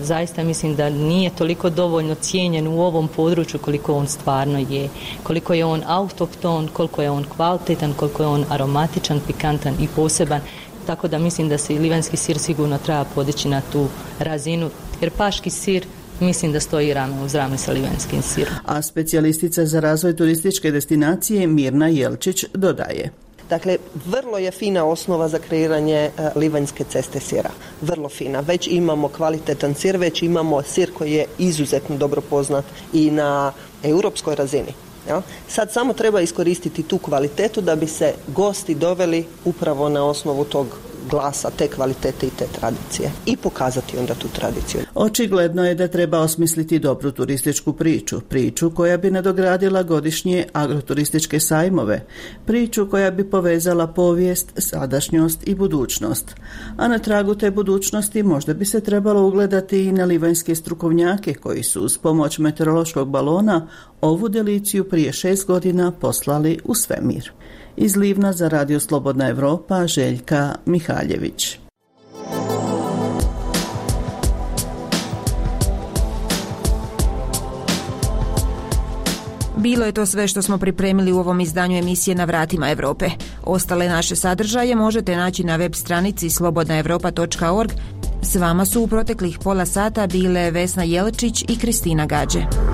zaista mislim da nije toliko dovoljno cijenjen u ovom području koliko on stvarno je. Koliko je on autohton, koliko je on kvalitetan, koliko je on aromatičan, pikantan i poseban. Tako da mislim da se i livanjski sir sigurno treba podići na tu razinu, jer paški sir mislim da stoji rame uz rame sa livenskim sirom. A specijalistica za razvoj turističke destinacije Mirna Jelčić dodaje. Dakle, vrlo je fina osnova za kreiranje uh, livanjske ceste sira. Vrlo fina. Već imamo kvalitetan sir, već imamo sir koji je izuzetno dobro poznat i na europskoj razini. Ja? Sad samo treba iskoristiti tu kvalitetu da bi se gosti doveli upravo na osnovu tog glasa, te kvalitete i te tradicije i pokazati onda tu tradiciju. Očigledno je da treba osmisliti dobru turističku priču, priču koja bi nadogradila godišnje agroturističke sajmove, priču koja bi povezala povijest, sadašnjost i budućnost. A na tragu te budućnosti možda bi se trebalo ugledati i na livanjske strukovnjake koji su uz pomoć meteorološkog balona ovu deliciju prije šest godina poslali u svemir. Iz Livna za Radio Slobodna Evropa, Željka Mihaljević. Bilo je to sve što smo pripremili u ovom izdanju emisije Na vratima Europe. Ostale naše sadržaje možete naći na web stranici slobodna evropa točka org. S vama su u proteklih pola sata bile Vesna Jelčić i Kristina Gađe.